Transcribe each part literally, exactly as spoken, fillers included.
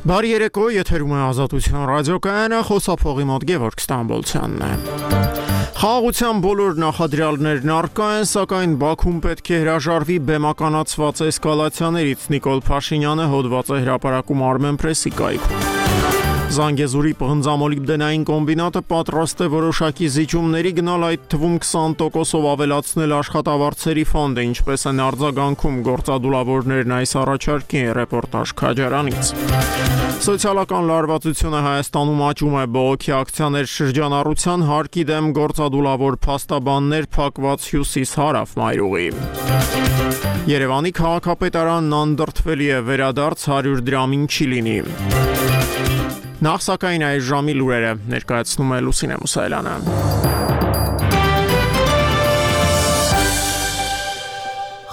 Բարի երեկո, եթերում է Ազատություն ռադիոկայանը, խոսափողի մոտ Գևորգ Ստամբոլցյանն է։ Խաղաղության բոլոր նախադրյալներն առկա են, սակայն Բաքուն պետք է հրաժարվի բեմականացված էսկալացիաներից, Նիկոլ Փաշինյանը հոդված է հրապարակում Armenpress-ի կայքում։ Զանգեզուրի պղնձամոլիբդենային կոմբինատը պատրաստ է որոշակի զիջումների գնալ, այդ թվում քսան տոկոսով ավելացնել աշխատավարձերի ֆոնդը, ինչպես են արձագանքում գործադուլավորներն այս առաջարկին, ռեպորտաժ Քաջարանից։ Սոցիալական լարվածությունը Հայաստանում աճում է, բողոքի ակցիաներ շրջանառության, հարկի դեմ գործադուլավոր փաստաբաններ, փակված հյուսիս-հարավ մայրուղի։ Երևանի քաղաքապետարանն անդրդվելի է, վերադարձ հարյուր դրամին չի լինի։ Նախ սակայն այս ժամի լուրերը ներկայացնում է Լուսինե Մուսայելյանը։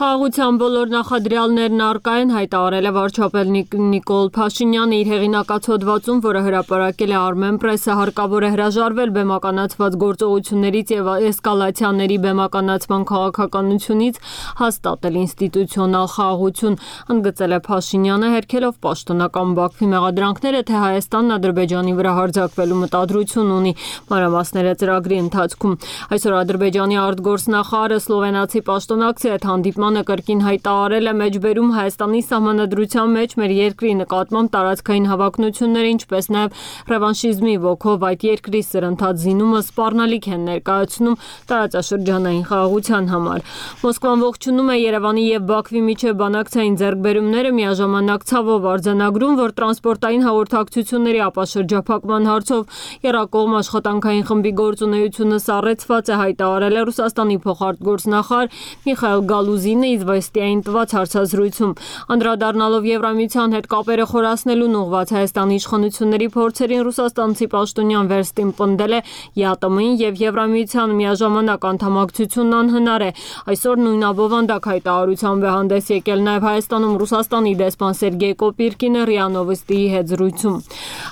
Խաղաղության բոլոր նախադրյալներն առկա են, հայտարարել է վարչապետ Նիկոլ Փաշինյանը իր հեղինակած հոդվածում, որը հրապարակել է Armenpress-ը, հարկավոր է հրաժարվել բեմականացված գործողություններից եւ էսկալացիաների բեմականացման քաղաքականությունից, հաստատել ինստիտուցիոնալ խաղաղություն, ընդգծել է Փաշինյանը, հերքելով պաշտոնական Բաքվի մեղադրանքները, թե Հայաստանն Ադրբեջանի վրա հարձակվելու մտադրություն ունի, մանրամասները ծրագրի ընթացքում։ Այսօր Ադրբեջանի արտգործնախարարը սլովենացի պաշտոնակցի հետ հանդիպման կրկին հայտարարել է մեջբերում Հայաստանի սահմանադրության մեջ մեր երկրի նկատմամբ տարածքային հավակնությունները, ինչպես նաև ռևանշիզմի ոգով այդ երկրի սրընթաց զինումը սպառնալիք են ներկայացնում տարածաշրջանային խաղաղության համար։ Մոսկվան ողջունում է Երևանի եւ Բաքվի միջև բանակցային ձեռքբերումները, միաժամանակ ցավով արձանագրում, որ տրանսպորտային հաղորդակցությունների ապաշրջափակման հարցով եռակողմ աշխատանքային խմբի գործունեությունը սառեցված է, հայտարարել է Ռուսաստանի փոխարտգործնախարար Միխայիլ Գալուզինը Իզվեստիային տված հարցազրույցում, անդրադառնալով Եվրամիության հետ կապերը խորացնելուն ուղղված Հայաստանի իշխանությունների փորձերին, ռուսաստանցի պաշտոնյան վերստին պնդել է ԵԱՏՄ-ին եւ Եվրամիության միաժամանակ անդամակցությունն անհնար է։ Այսօր նույն աբովանդակ հայտարարությամբ է հանդես եկել նաեւ Հայաստանում Ռուսաստանի դեսպան Սերգեյ Կոպիրկինը ՌԻԱ Նովոստիի հետ զրույցում։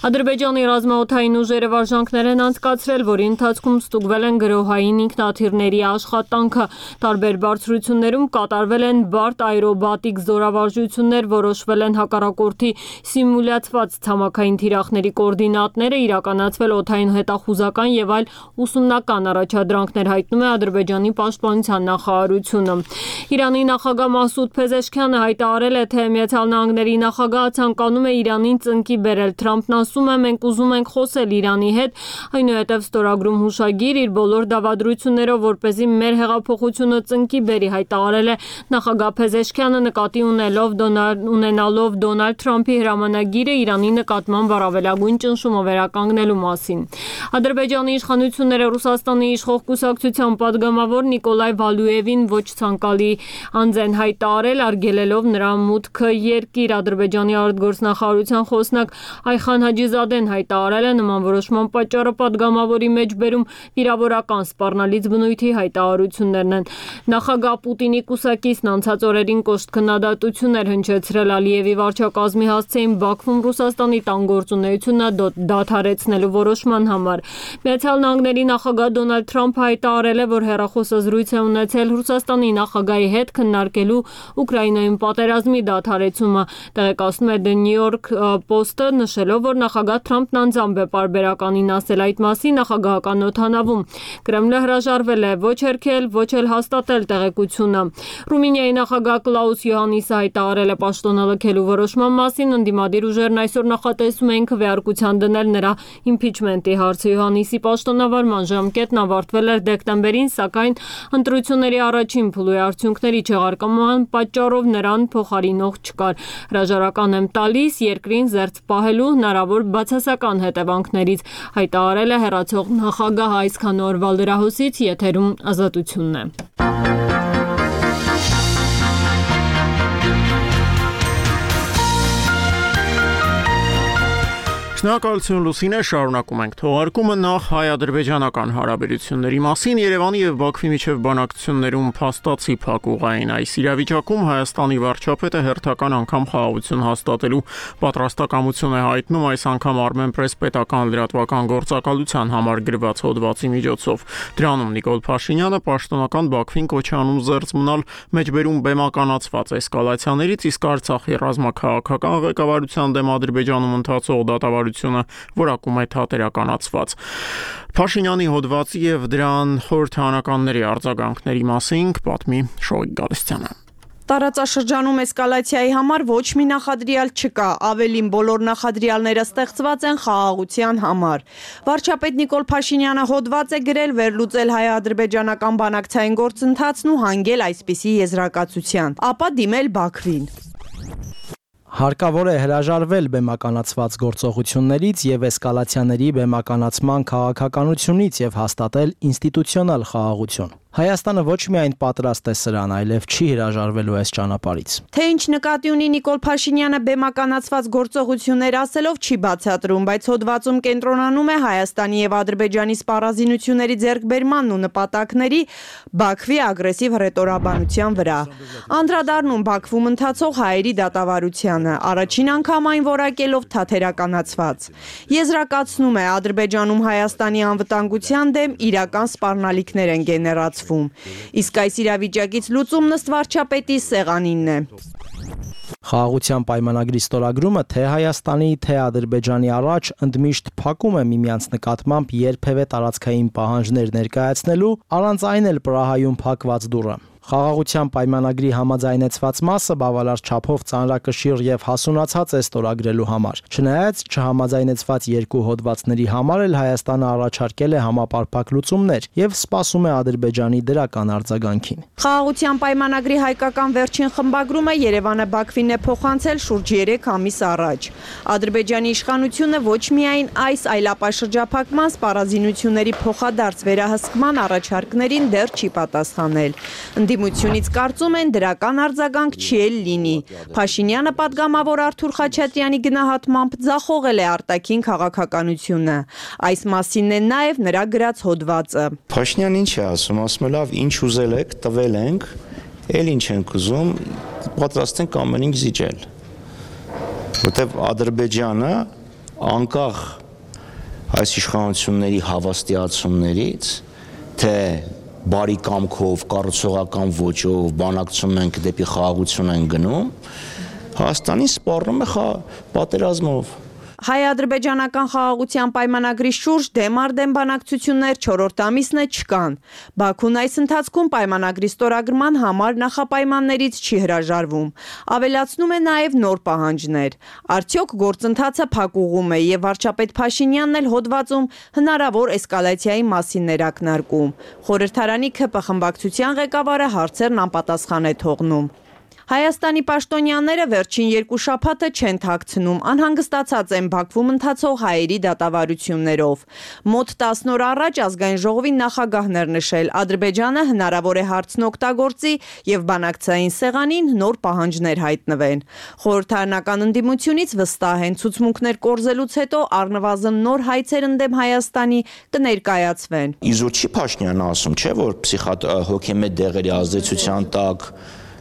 Ադրբեջանի ռազմաօդային ուժերը վարժանքներ են անցկացրել, որի ընթացքում ստուգվել են գրոհային ինքնաթիռների աշխատանքը, տարբեր բարձրություններում կատարվել են բարդ աերոբատիկ զորավարժություններ, որոշվել են հակառակորդի սիմուլյացված ցամաքային թիրախների կոորդինատները, իրականացվել օդային հետախուզական եւ այլ ուսումնական առաջադրանքներ, հայտնում է Ադրբեջանի պաշտպանության նախարարությունը։ Իրանի նախագահ Մասուդ Փեզեշքյանը հայտարարել է, թե Միացյալ Նահանգների նախագահը ցանկանում է Իրանին ծնկի բերել։ Թրամփն ասում է, մենք ուզում ենք խոսել Իրանի հետ, այնուհետև ստորագրում հուշագիր իր բոլոր դավադրություններով, որպեսզի մեր հեղափոխությունը ծնկի բերի, հայտարարել է նախագահ Փեզեշքյանը, նկատի ունելով ունենալով Դոնալդ Թրամփի հրամանագիրը Իրանի նկատմամբ առավելագույն ճնշումը վերականգնելու մասին։ Ադրբեջանի իշխանությունները Ռուսաստանի իշխող կուսակցության падգամավոր Նիկոլայ Վալուևին ոչ ցանկալի անձ են հայտարարել, արգելելով նրա մուտքը երկիր։ Ադրբեջանի արտգործնախարարության խոսնակ Այխան Հաջիզադեն հայտարարել է նման որոշման պատճառը падգամավորի մեջբերում վիրավորական սպառնալից բնույթի հայտարարություններն են։ Նախագահ Պուտինի կուսակիցն անցած օրերին կոշտ քննադատություններ հնչեցրել Ալիևի վարչակազմի հասցեին Բաքվում Ռուսաստանի տան գործունեությունը դադարեցնելու որոշման համար։ Միացյալ Նահանգների նախագահ Դոնալդ Թրամփը հայտարարել է, որ հեռախոսազրույց է ունեցել Ռուսաստանի նախագահի հետ քննարկելու Ուկրաինայում պատերազմի դադարեցումը, տեղեկացնում է The New York Post-ը, նշելով, որ նախագահ Թրամփն անձամբ է պարբերականին ասել այդ մասին նախագահական օդանավում։ Կրեմլը հրաժարվել է ոչ հերքել, ոչ էլ հաստատել տեղեկությունը։ Ռումինիայի նախագահ Կլաուս Յոհաննիսը հայտարարել է պաշտոնալքելու որոշման մասին, ընդդիմադիր ուժերն այսօր նախատեսում են քվեարկության դնել նրա իմփիչմենտի հարցը։ Յոհաննիսի պաշտոնավարման ժամկետն ավարտվել էր դեկտեմբերին, սակայն ընտրությունների առաջին փուլի արդյունքների չեղարկման պատճառով նրան փոխարինող չկար։ Հրաժարական եմ տալիս երկրին զերծ պահելու հնարավոր բացասական հետևանքներից, հայտարարել է հեռացող նախագահ այսքան օրվա լրահոսից, եթերում Ազատությունն է։ Շնորհակալություն Լուսինե, շարունակում ենք թողարկումը նախ հայ-ադրբեջանական հարաբերությունների մասին Երևանի եւ Բաքվի միջև բանակցություններում փաստացի փակուղային այս իրավիճակում Հայաստանի վարչապետը հերթական անգամ խաղաղություն հաստատելու պատրաստակամություն է հայտնում այս անգամ Armenpress պետական լրատվական գործակալության համար գրված հոդվածի միջոցով։ Դրանում Նիկոլ Փաշինյանը պաշտոնական Բաքվին կոչ է անում զերծ մնալ մեջբերում բեմականացված էսկալացիաներից, իսկ Արցախի ռազմաքաղաքական ղեկավարության դեմ Ադրբեջանում ընթացող դատավարությունը որակում է թատերականացված։ Փաշինյանի հոդվածի եւ դրան խորհրդարանականների արձագանքների մասին պատմի Շոյիկ Գալստյանը։ Տարածաշրջանում էսկալացիայի համար ոչ մի նախադրյալ չկա, ավելին բոլոր նախադրյալները ստեղծված են խաղաղության համար։ Վարչապետ Նիկոլ Փաշինյանը հոդված է գրել վերլուծել հայ-ադրբեջանական բանակցային գործընթացն ու հանգել այսպիսի եզրակացության, ապա դիմել Բաքվին։ Հարկավոր է հրաժարվել բեմականացված գործողություններից եւ էսկալացիաների բեմականացման քաղաքականությունից եւ հաստատել ինստիտուցիոնալ խաղաղություն։ Հայաստանը ոչ միայն պատրաստ է սրան, այլև չի հրաժարվելու այս ճանապարհից։ Թե ինչ նկատի ունի Նիկոլ Փաշինյանը բեմականացված գործողություններ ասելով չի բացատրում, բայց հոդվածում կենտրոնանում է Հայաստանի եւ Ադրբեջանի սպառազինությունների ձեռքբերմանն ու նպատակների Բաքվի ագրեսիվ հռետորաբանության վրա։ Անդրադառնում Բաքվում ընթացող հայերի դատավարությանը, առաջին անգամ այն որակելով թաթերականացված։ Եզրակացնում է Ադրբեջանում Հայաստանի անվտանգության դեմ իրական սպառնալիքներ են գեներացվել։ Իսկ այս իրավիճակից լուծումն ըստ վարչապետի սեղանինն է։ Խաղաղության պայմանագրի ստորագրումը թե Հայաստանի, թե Ադրբեջանի առաջ ընդմիշտ փակում է միմյանց նկատմամբ երբևէ տարածքային պահանջներ ներկայացնելու, առանց այն էլ Պրահայում փակված դուռը։ Խաղաղության պայմանագրի համաձայնեցված մասը բավարար չափով ծանրակշիռ եւ հասունացած է ստորագրելու համար։ Չնայած չհամաձայնեցված երկու հոդվածների համար էլ Հայաստանը առաջարկել է համապարփակ լուծումներ եւ սպասում է Ադրբեջանի դրական արձագանքին։ Խաղաղության պայմանագրի հայկական վերջին խմբագրումը Երևանը Բաքվին է փոխանցել շուրջ երեք ամիս առաջ։ Ադրբեջանի իշխանությունը ոչ միայն այս, այլ ապա շրջափակման սպառազինությունների փոխադարձ վերահսկման առաջարկներին դեռ չի պատասխանել։ Ընդդիմությունից կարծում են դրական արձագանք չի էլ լինի։ Փաշինյանը պատգամավոր Արթուր Խաչատրյանի գնահատմամբ ձախողել է արտաքին քաղաքականությունը։ Այս մասինն է նաև նրա գրած հոդվածը։ Փաշինյանն ինչ է ասում, ասում է լավ, ինչ ուզել եք, տվել ենք, էլ ինչ ենք ուզում, պատրաստ ենք ամեն ինչ զիջել։ Որտեվ Ադրբեջանը անկախ այս իշխանությունների հավաստիացումներից, թե բարի կամքով, կառուցողական ոճով, բանակցում ենք դեպի խաղաղություն են գնում, Հայաստանին սպառնում է պատերազմով։ Հայ-ադրբեջանական խաղաղության պայմանագրի շուրջ դեմ առ դեմ բանակցություններ չորրորդ ամիսն է չկան։ Բաքուն այս ընթացքում պայմանագրի ստորագրման համար նախապայմաններից չի հրաժարվում։ Ավելացնում է նաև նոր պահանջներ։ Արդյոք գործընթացը փակուղում է եւ վարչապետ Փաշինյանն էլ հոդվածում հնարավոր էսկալացիայի մասին էր ակնարկում։ Խորհրդարանի ՔՊ խմբակցության ղեկավարը հարցերն անպատասխան է թողնում։ Հայաստանի պաշտոնյաները վերջին երկու շաբաթը չեն թաքցնում, անհանգստացած են Բաքվում ընթացող հայերի դատավարություններով։ Մոտ տասն օր առաջ ազգային ժողովի նախագահն էր նշել, Ադրբեջանը հնարավոր է հարցն օգտագործի եւ բանակցային սեղանին նոր պահանջներ հայտնվեն։ Խորհրդարանական ընդդիմությունից վստահ են, ցուցմունքներ կորզելուց հետո առնվազն նոր հայցեր ընդդեմ Հայաստանի կներկայացվեն։ Իզուր չի Փաշինյանը ասում, չէ՞ որ հոգեմետ դեղերի ազդեցության տակ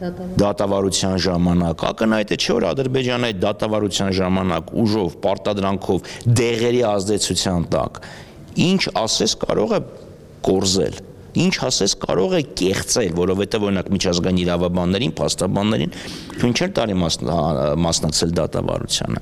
դատավարության ժամանակ, ակնհայտ է չէ որ Ադրբեջանը այդ դատավարության ժամանակ ուժով, պարտադրանքով, դեղերի ազդեցության տակ ինչ ասես կարող է կորզել, ինչ ասես կարող է կեղծել, որովհետև օրինակ միջազգային իրավաբաններին, փաստաբաններին ինչ-որ տարի մասնակցել դատավարությանը։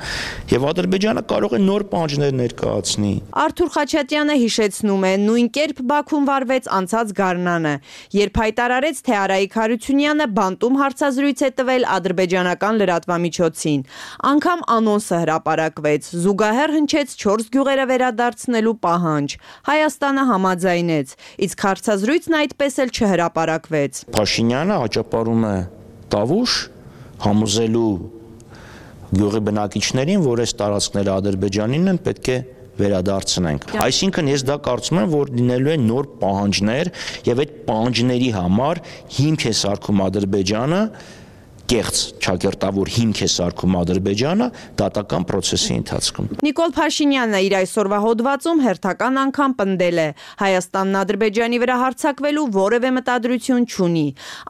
Եվ Ադրբեջանը կարող է նոր պահանջներ ներկայացնի։ Արթուր Խաչատրյանը հիշեցնում է, նույն կերպ Բաքուն վարվեց անցած գարնանը, երբ հայտարարեց, թե Արայիկ Հարությունյանը բանտում հարցազրույց է տվել ադրբեջանական լրատվամիջոցին։ Անգամ անոնսը հրապարակվեց, զուգահեռ հնչեց չորս գյուղերը վերադարձնելու պահանջ։ Հայաստանը համաձայնեց, իսկ հարցազրույցն այդպես էլ չհրապարակվեց։ Փաշինյանը աճապարում է տավուշ համոզելու գյուղի բնակիչներին, որ այս տարածքները Ադրբեջանին են, պետք է վերադարձնենք։ Այսինքն ես դա կարծում եմ, որ լինելու են նոր պահանջներ եւ այդ պահանջների համար հիմք է սարքում Ադրբեջանը կեղծ ճակերտավոր հիմք է սարքում Ադրբեջանը դատական process-ի ընթացքում։ Նիկոլ Փաշինյանը իր այսօրվա հոդվածում հերթական անգամ պնդել է. Հայաստանն Ադրբեջանի վրա հարձակվելու որևէ մտադրություն չունի,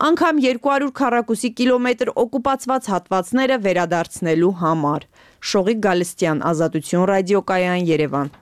անգամ երկու հարյուր քառակուսի կիլոմետր օկուպացված հատվածները վերադարձնելու համար։ Շողիկ Գալստյան, Ազատություն ռադիոկայան, Երևան։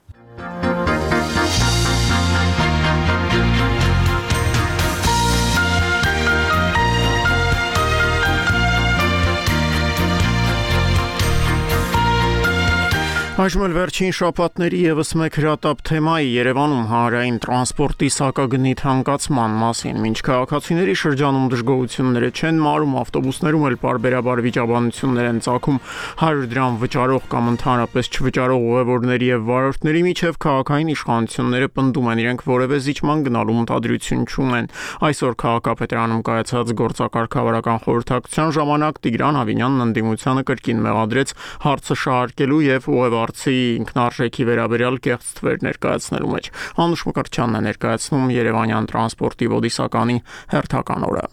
Այժմ էլ վերջին շաբաթների ևս մեկ հրատապ թեմայի Երևանում հանրային տրանսպորտի սակագնի թանկացման մասին։ Մինչ քաղաքացիների շրջանում դժգոհությունները չեն մարում, ավտոբուսներում էլ պարբերաբար վիճաբանություններ են ծագում հարյուր դրամ վճարող կամ ընդհանրապես չվճարող ուղևորների եւ վարորդների միջև քաղաքային իշխանությունները պնդում են իրենք որևէ զիջման գնալու մտադրություն չունեն։ Այսօր քաղաքապետարանում կայացած գործակարգավարական խորհրդակցության ժամանակ Տիգրան Ավինյանն ընդդիմությանը կրկին մեղադրեց հարցը շահարկելու եւ ուղևորցի ինքնարժեքի վերաբերյալ կեղծ թվեր ներկայացնելու մեջ։ Անուշ Մկրտչյանն է ներկայացնում Երևանյան տրանսպորտի ոդիսականի հերթական օրը։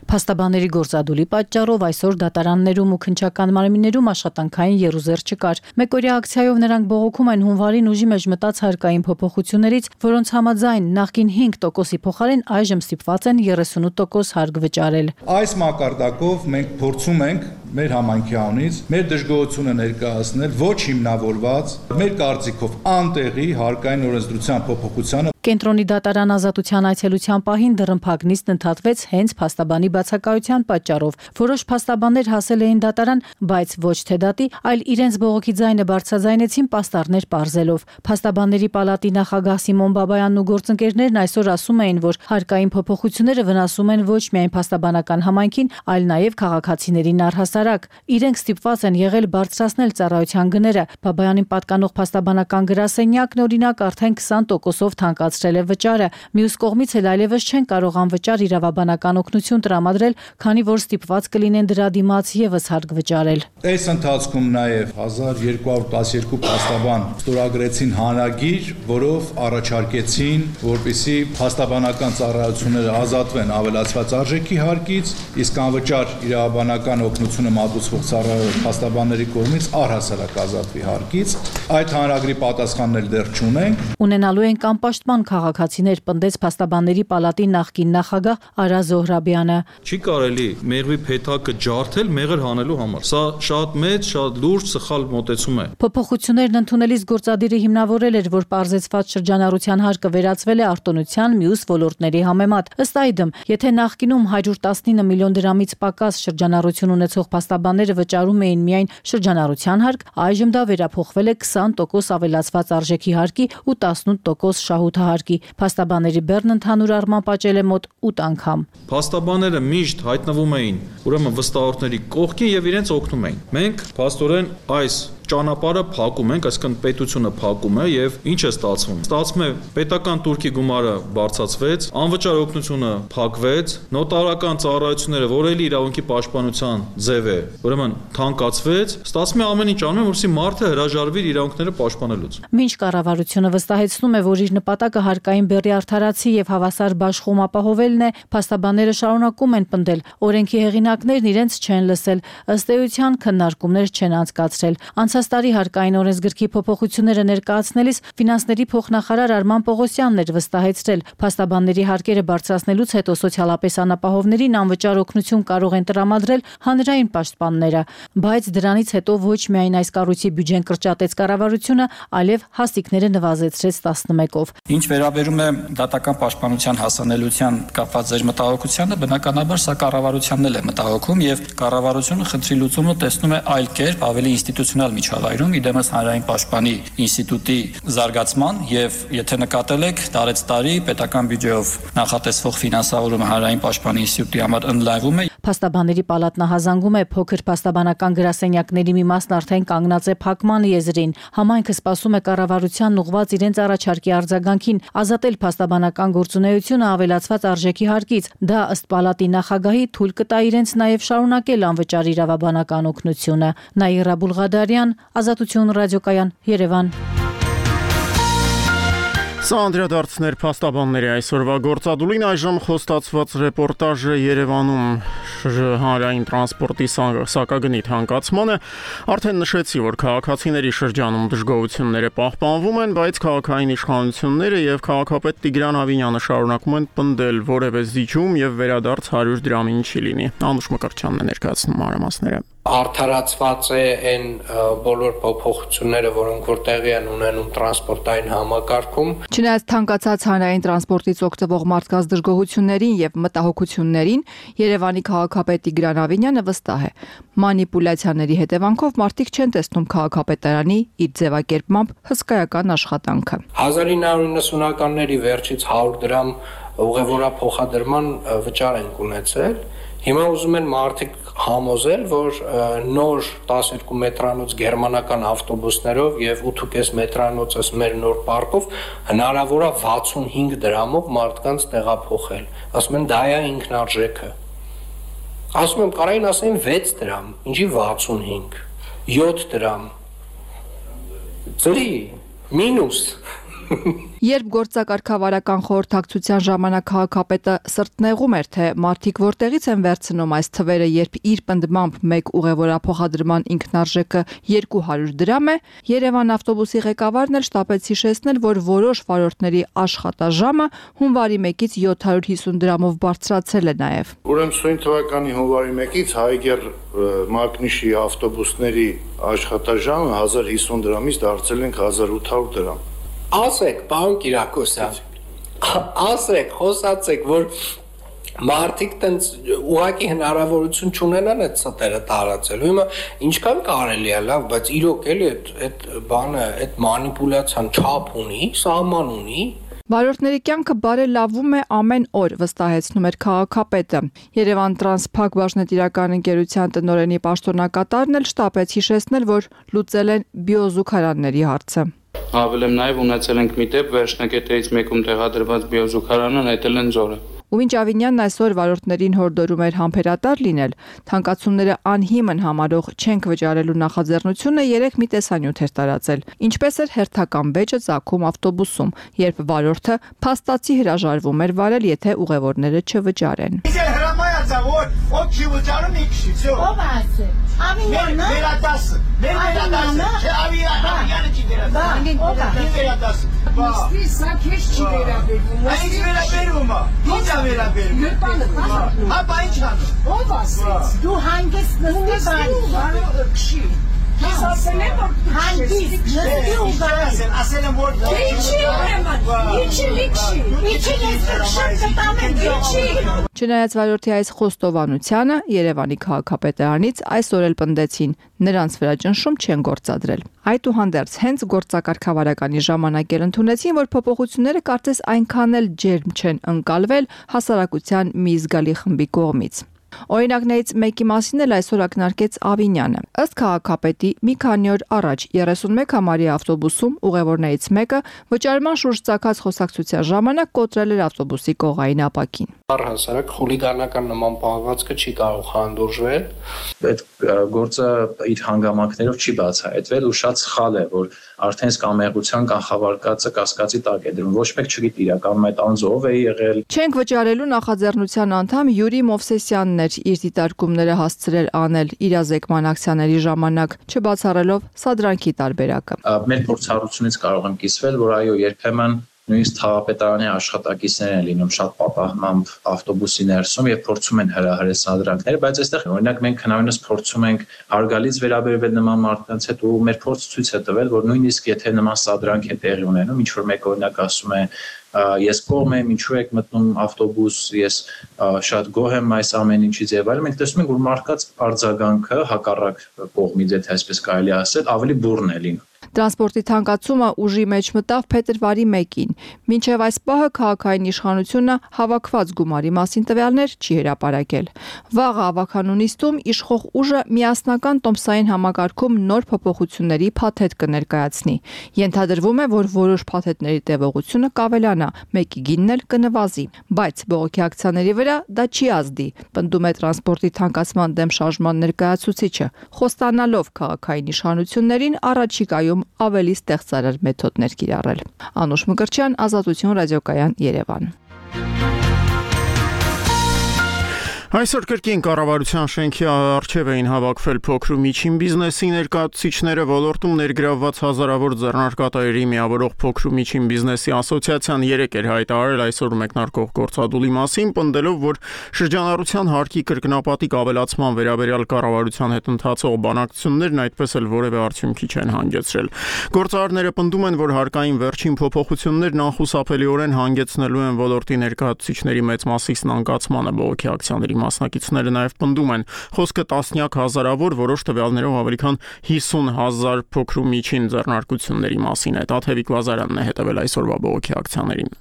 Փաստաբանների գործադուլի պատճառով այսօր դատարաններում ու քննչական մարմիններում աշխատանքային եռուզեռ չկար։ Մեկօրյա ակցիայով նրանք բողոքում են հունվարին ուժի մեջ մտած հարկային փոփոխություններից, որոնց համաձայն նախկին հինգ տոկոսի փոխարեն այժմ ստիպված են երեսունութ տոկոս հարկ վճարել։ Այս մակարդակով մենք փորձում ենք մեր համայնքի անունից մեր դժգոհությունը ներկայացնել ոչ հիմնավորված, մեր կարծիքով անտեղի հարկային օրենսդրության փոփոխությանը։ Կենտրոնի դատարան ազատության այցելության պահին դռնփակ նիստն ընդհատվեց հենց փաստաբանի բացակայության պատճառով։ Որոշ փաստաբաններ հասել էին դատարան, բայց ոչ թե դատի, այլ իրենց բողոքի ձայնը բարձրաձայնեցին պաստառներ պարզելով։ Փաստաբանների պալատի նախագահ Սիմոն Բաբայանն ու գործընկերներն այսօր ասում էին, որ հարկային փոփոխությունները վնասում են ոչ միայն փաստաբանական համայնքին, այլ նաև քաղաքացիներին առհասարակ։ Իրենք ստիպված են եղել բարձրացնել ծառայության գները։ Բաբայանին պատկանող փաստաբանական գրասենյակն օրինակ արդեն քսան տոկոսով թանկացրել է վճարը։ Մյուս կողմից էլ այլևս չեն կարող անվճար իրավաբանական օգնություն տրամադրել, քանի որ ստիպված կլինեն դրա դիմաց եւս հարկ վճարել։ Այս ընթացքում նաև հազար երկու հարյուր տասներկու փաստաբան ստորագրեցին հանրագիր, որով առաջարկեցին, որպեսզի փաստաբանական ծառայությունները ազատվեն ավելացված արժեքի հարկից, իսկ անվճար իրավաբանական օգնությունը մատուցվող ծառայող փաստաբանների կողմից առհասարակ ազատվի հարկից։ Այդ հանրագրի պատասխանն էլ դեռ չունենք։ Ունենալու են անպաշտպան քաղաքացիներ, պնդեց փաստաբանների պալատի նախկին նախագահ Արա Զոհրաբյանը։ Չի կարելի մեղվի փեթակը ջարդել մեղր հանելու համար։ Սա շատ մեծ, շատ լուրջ սխալ մոտեցում է։ Փոփոխություններն ընդունելիս գործադիրը հիմնավորել էր, որ պարզեցված շրջանառության հարկը վերածվել է արտոնության մյուս ոլորտների համեմատ։ Ըստ այդմ, եթե նախկինում հարյուր տասնինը միլիոն դրամից պակաս շրջանառություն ունեցող փաստաբանները վճարում էին միայն շրջանառության հարկ, այժմ դա վերափոխվել է քսան տոկոս ավելացված արժեքի հարկի ու տասնութ տոկոս շահութահարկի։ Փաստաբանների բեռն ընդհանուր առմամբ աճել է մոտ ութ անգամ։ Փաստաբանները միշտ հայտնվում էին ուրեմն վստահորդների կողքին եւ իրենց օգնում էին։ Մենք փաստորեն այս ճանապարհը փակում ենք, այսինքն պետությունը փակում է եւ ինչ է ստացվում։ Ստացվում է պետական турքի գումարը բարձրացվեց, անվճար օգնությունը փակվեց, նոտարական ծառայությունները, որ էլի իրավունքի պաշտպանության ձև է, ուրեմն թանկացվեց, ստացվում է ամեն ինչ անում են, որպեսզի մարդը հրաժարվի իր իրավունքները պաշտպանելուց։ Մինչ կառավարությունը վստահեցնում է, որ իր նպատակը հարկային բեռի արդարացի եւ հավասար բաշխում ապահովելն է, փաստաբանները շարունակում են պնդել, օրենքի հեղինակներն իրենց չեն լսել, ըստ էության քննարկումներ չեն անցկացրել։ Անցած տարի հարկային օրենսգրքի փոփոխությունները ներկայացնելիս ֆինանսների փոխնախարար Արման Պողոսյանն էր վստահեցրել, փաստաբանների հարկերը բարձրացնելուց հետո սոցիալապես անապահովներին անվճար օգնություն կարող են տրամադրել հանրային պաշտպանները, բայց դրանից հետո ոչ միայն այս կառույցի բյուջեն կրճատեց կառավարությունը, այլև հասիկները նվազեցրեց տասնմեկով։ Ինչ վերաբերում է դատական պաշտպանության հասանելիության կապված ձեր մտահոգությանը, բնականաբար սա կառավարությանն էլ է մտահոգում եւ կառավարությունը խնդրի լուծումը տեսնում է այլ կերպ, ավելի ինստիտուցիոնալ միջավայրում, իդեմս հանրային պաշտպանի ինստիտուտի զարգացման եւ եթե նկատել եք, տարեց տարի պետական բյուջեով նախատեսվող ֆինանսավորումը հանրային պաշտպանի ինստիտուտի համար ընդլայնվում է։ Փաստաբանների պալատն հազանգում է փոքր փաստաբանական գրասենյակների մի մասն արդեն կանգնած է փակման եզրին։ Համայնքը սպասում է կառավարությանն ուղղված իրենց առաջարկի արձագանքին ազատել փաստաբանական գործունեությունը ավելացված արժեքի հարկից։ Դա ըստ պալատի նախագահի թույլ կտա իրենց նաև շարունակել անվճար իրավաբանական օգնությունը։ Նաիրա Բուլղադարյան, Ազատություն ռադիոկայան, Երևան։ Սա անդրադարձներ փաստաբանների այսօրվա գործադուլին այժմ խոստացված ռեպորտաժը Երևանում հանրային տրանսպորտի սակագնի թանկացմանը արդեն նշեցի, որ քաղաքացիների շրջանում դժգոհությունները պահպանվում են, բայց քաղաքային իշխանությունները եւ քաղաքապետ Տիգրան Ավինյանը շարունակում են պնդել, որևէ զիջում եւ վերադարձ հարյուր դրամին չի լինի։ Անուշ Մկրտչյանն է ներկայացնում մանրամասները։ Արդարացված է այն բոլոր փոփոխությունները, որոնք որ տեղի են ունենում տրանսպորտային համակարգում։ Չնայած թանկացած հանրային տրանսպորտից օգտվող մարդկանց դժգոհություններին եւ մտահոգություններին, Երևանի քաղաքապետ Տիգրան Ավինյանը վստահ է, մանիպուլյացիաների հետևանքով մարդիկ չեն տեսնում քաղաքապետարանի իր ձևակերպմամբ հսկայական աշխատանքը։ հազար ինը հարյուր նվթականների վերջից հարյուր դրամ ուղևորափոխադրման վճար են ունեցել։ Հիմա ուզում են մարդիկ համոզել, որ նոր տասներկու մետրանոց գերմանական ավտոբուսներով եւ ութ մետրանոցս մեր նոր պարկով հնարավոր է վաթսունհինգ դրամով մարդկանց տեղափոխել։ Ասում են դա է ինքնարժեքը։ Ասում եմ կարային ասեն վեց դրամ, ինչի վաթսունհինգ, յոթ դրամ։ Ծրի, մինուս։ Երբ գործակարգավարական խորհրդակցության ժամանակ քաղաքապետը սրտնեղում էր, թե մարդիկ որտեղից են վերցնում այս թվերը, երբ իր պնդմամբ մեկ ուղևորափոխադրման ինքնարժեքը երկու հարյուր դրամ է, Երևան ավտոբուսի ղեկավարն էլ շտապեց հիշեցնել, որ որոշ վարորդների աշխատաժամը հունվարի մեկից յոթ հարյուր հիսուն դրամով բարձրացել է նաև։ Ուրեմն սույն թվականի հունվարի մեկից Հայգեր Մագնիշի ավտոբուսների աշխատաժամը հազար հիսուն դրամից դարձել ենք հազար ութ հարյուր դրամ։ Ասեք, պարոն Կիրակոսյան, ասեք, խոսացեք, որ մարդիկ տենց ուղղակի հնարավորություն չունենան այդ ստերը տարածելու։ Հիմա ինչքան կարելի է, լավ, բայց իրոք էլի այդ բանը, այդ մանիպուլյացիան չափ ունի, սահման ունի։ Վարորդների կյանքը բարելավում է ամեն օր, վստահեցնում էր քաղաքապետը։ Երևան Տրանսփակ բաժնետիրական ընկերության տնօրենի պաշտոնակատարն էլ շտապեց հիշեցնել, որ լուծել են բիոզուգարանների հարցը։ Հավելեմ նաև ունեցել ենք մի դեպք վերջնակետերից մեկում տեղադրված բիոզուգարանը նետել են ձորը։ Ու մինչ Ավինյանն այսօր վարորդներին հորդորում էր համբերատար լինել, թանկացումները անհիմն համարող չենք վճարելու նախաձեռնությունը երեք մի տեսանյութ էր տարածել։ Ինչպես էր հերթական բեջը ծագում ավտոբուսում, երբ վարորդը փաստացի հրաժարվում էր վարել, եթե ուղևորները չվճարեն։ Ապա ինչ անում։ Ո՞վ ասեց։ Դու հանգեցնում ես բանի։ Ես ասել եմ, որ հանգիստ նստի ու գարի։ Ասել եմ, որ ինչի ուրեմն, ինչի լիքշի, ինչի ես շատ կտամ եմ, ինչի։ Չնայած վարորդի այս խոստովանությանը Երևանի քաղաքապետարանից այսօր էլ պնդեցին, նրանց վրա ճնշում չեն գործադրել։ Այդուհանդերձ հենց գործակարգավարականի ժամանակ էլ ընդունեցին, որ փոփոխությունները կարծես այնքան էլ ջերմ չեն ընկալվել հասարակության մի զգալի խմբի կողմից։ Օրինակներից մեկի մասին էլ այսօր ակնարկեց Ավինյանը։ Ըստ քաղաքապետի մի քանի օր առաջ երեսունմեկ համարի ավտոբուսում ուղևորներից մեկը վճարման շուրջ ծագած խոսակցության ժամանակ կոտրել էր ավտոբուսի կողային ապակին։ Առհասարակ խուլիգանական նման պահվածքը չի կարող հանդուրժվել։ Այդ գործը իր հանգամանքներով չի բացահայտվել ու շատ սխալ է, որ արդեն սկամեղության կանխավարկածը կասկածի տակ է դրում։ Ոչ մեկ չգիտի իրականում այդ անձով է եղել։ Չենք վճարելու նախաձեռնության անդամ Յուրի Մովսեսյանն էր իր դիտարկումները հասցրել անել իրազեկման ակցիաների ժամանակ, չբացառելով սադրանքի տարբերակը։ Մեր փորձառությունից կարող եմ կիսվել, որ այո, երբեմն նույնիսկ քաղաքապետարանի աշխատակիցներ են լինում շատ պատահմամբ ավտոբուսի ներսում եւ փորձում են հրահրել սադրանքները, բայց այստեղ օրինակ մենք հնարավորինս փորձում ենք արգալից վերաբերվել նման մարդկանց հետ ու մեր փորձը ցույց է տվել, որ նույնիսկ եթե նման սադրանք է տեղի ունենում, ինչ որ մեկ օրինակ ասում է ես կողմ եմ, ինչու եք մտնում ավտոբուս, ես շատ գոհ եմ այս ամեն ինչից եւ այլն, մենք տեսնում ենք, որ մարդկանց արձագանքը հակառակ կողմից, եթե այսպես կարելի ասել, ավելի բուռն է լինում։ Տրանսպորտի թանկացումը ուժի մեջ մտավ փետրվարի մեկին։ Մինչև այս պահը քաղաքային իշխանությունը հավաքված գումարի մասին տվյալներ չի հրապարակել։ Վաղը ավականու նիստում իշխող ուժը միասնական տոմսային համակարգում նոր փոփոխությունների փաթեթ կներկայացնի։ Ենթադրվում է, որ որոշ փաթեթների տևողությունը կավելանա, մեկի գինն էլ կնվազի, բայց բողոքի ակցիաների վրա դա չի ազդի, պնդում է տրանսպորտի թանկացման դեմ շարժման ներկայացուցիչը, խոստանալով քաղաքային իշխանություններին առաջիկայում հարցում ավելի ստեղծարար մեթոդներ կիրառել։ Անուշ Մկրտչյան, Ազատություն ռադիոկայան, Երևան։ Այսօր կրկին կառավարության շենքի առջև էին հավաքվել փոքր ու միջին բիզնեսի ներկայացուցիչները, ոլորտում ներգրավված հազարավոր ձեռնարկատերերի միավորող փոքր ու միջին բիզնեսի ասոցիացիան երեկ էր հայտարարել այսօր մեկնարկող գործադուլի մասին, պնդելով, որ շրջանառության հարկի կրկնապատիկ ավելացման վերաբերյալ կառավարության հետ ընթացող բանակցություններն այդպես էլ որևէ արդյունքի չեն հանգեցրել։ Գործարարները պնդում են, որ հարկային վերջին փոփոխություններն անխուսափելիորեն հանգեցնելու են ոլորտի ներկայացուցիչների մեծ մասի սնանկացմանը բողոքի ակցիաների մասնակիցները նաև պնդում են խոսքը տասնյակ հազարավոր, որոշ տվյալներով ավելի քան հիսուն հազար փոքր ու միջին ձեռնարկությունների մասին է։ Տաթևիկ Լազարյանն է հետևել այսօրվա բողոքի ակցիաներին։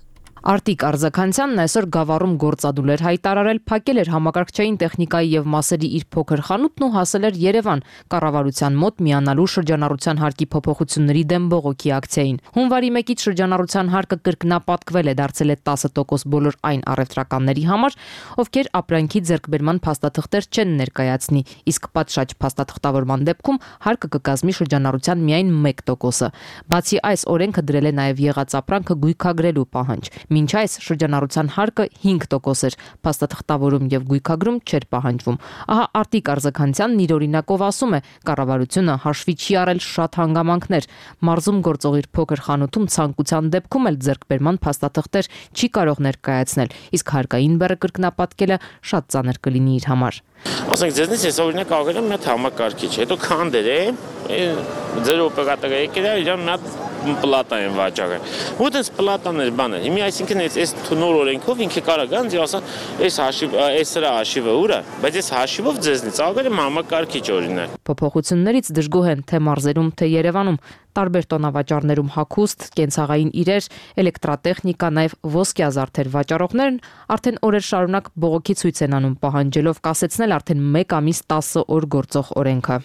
Արտիկ Արզականյանն այսօր Գավառում գործադուլ էր հայտարարել, փակել էր համակարգչային տեխնիկայի եւ մասերի իր փոքր խանութն ու հասել էր Երևան կառավարության մոտ միանալու շրջանառության հարկի փոփոխությունների դեմ բողոքի ակցիային։ Հունվարի մեկից շրջանառության հարկը կրկնապատկվել է, դարձել է տասը տոկոս բոլոր այն առևտրականների համար, ովքեր ապրանքի ձեռքբերման փաստաթղթեր չեն ներկայացնի, իսկ պատշաճ փաստաթղթավորման դեպքում հարկը կկազմի շրջանառության միայն մեկ տոկոսը։ Բացի այս, օրենքը դրել է նաև եղած ապրանքը գույքագրելու պահանջ։ Մինչ այս շրջանառության հարկը հինգ տոկոս էր, փաստաթղթավորում եւ գույքագրում չէր պահանջվում։ Ահա Արտիկ Արզականյանն իր օրինակով ասում է, կառավարությունը հաշվի չի առել շատ հանգամանքներ։ Մարզում գործող իր փոքր խանութում ցանկության դեպքում էլ ձեռքբերման փաստաթղթեր չի կարող ներկայացնել, իսկ հարկային բեռը կրկնապատկելը շատ ծանր կլինի իր համար։ Ասենք ձեզնից ես օրինակ աղել եմ մի հատ համակարգիչ, հետո քանդեր է, ձեր օպերատորը եկել է, իրան մի հատ պլատա են վաճառել։ Ու դες պլատաներ բաներ։ Հիմա այսինքն այս նոր օրենքով ինքը կարող գանձ ու ասա, այս հաշիվ, այս սրա հաշիվը ուր է, բայց այս հաշիվով ձեզնից աղել եմ համակարգիչ օրինակ։ Փոփոխություններից դժգոհ են թե մարզերում, թե Երևանում։ Տարբեր տոնավաճառներում հագուստ, կենցաղային իրեր, էլեկտրատեխնիկա, նաև ոսկյա զարդեր վաճառողներն արդեն օրեր շարունակ բողոքի ցույց են անում, պահանջելով կասեցնել արդեն մեկ ամիս տասը օր գործող օրենքը։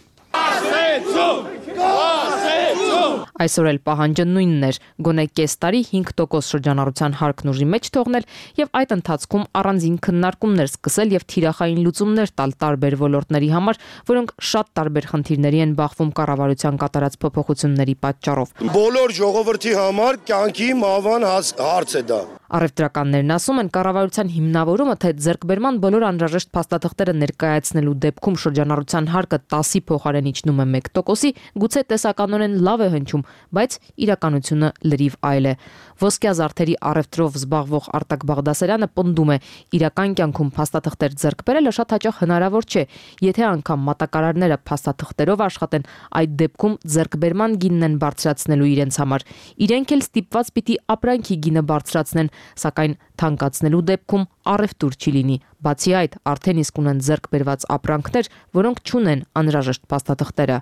Այսօր էլ պահանջը նույնն էր՝ գոնե կես տարի հինգ տոկոս շրջանառության հարկն ուժի մեջ թողնել եւ այդ ընթացքում առանձին քննարկումներ սկսել եւ թիրախային լուծումներ տալ տարբեր ոլորտների համար, որոնք շատ տարբեր խնդիրների են բախվում կառավարության կատարած փոփոխությունների պատճառով։ Բոլոր ժողովրդի համար կյանքի մահվան հարց է դա։ Առևտրականներն ասում են, կառավարության հիմնավորումը, թե ձեռքբերման բոլոր անհրաժեշտ փաստաթղթերը ներկայացնելու դեպքում շրջանառության հարկը տասի փոխարեն իջնում է մեկ տոկոսի, գուցե տեսականորեն լավ է հնչում, բայց իրականությունը լրիվ այլ է։ Ոսկյա զարդերի առևտրով զբաղվող Արտակ Բաղդասարյանը պնդում է, իրական կյանքում փաստաթղթեր ձեռք բերելը շատ հաճախ հնարավոր չէ, եթե անգամ մատակարարները փաստաթղթերով աշխատեն, այդ դեպքում ձեռքբերման գինն են բարձրացնելու իրենց համար։ Իրենք էլ ստիպված պիտի ապրանքի գինը բարձրացնեն, սակայն թանկացնելու դեպքում առևտուր չի լինի։ Բացի այդ, արդեն իսկ ունեն ձեռք բերված ապրանքներ, որոնք չունեն անհրաժեշտ փաստաթղթերը։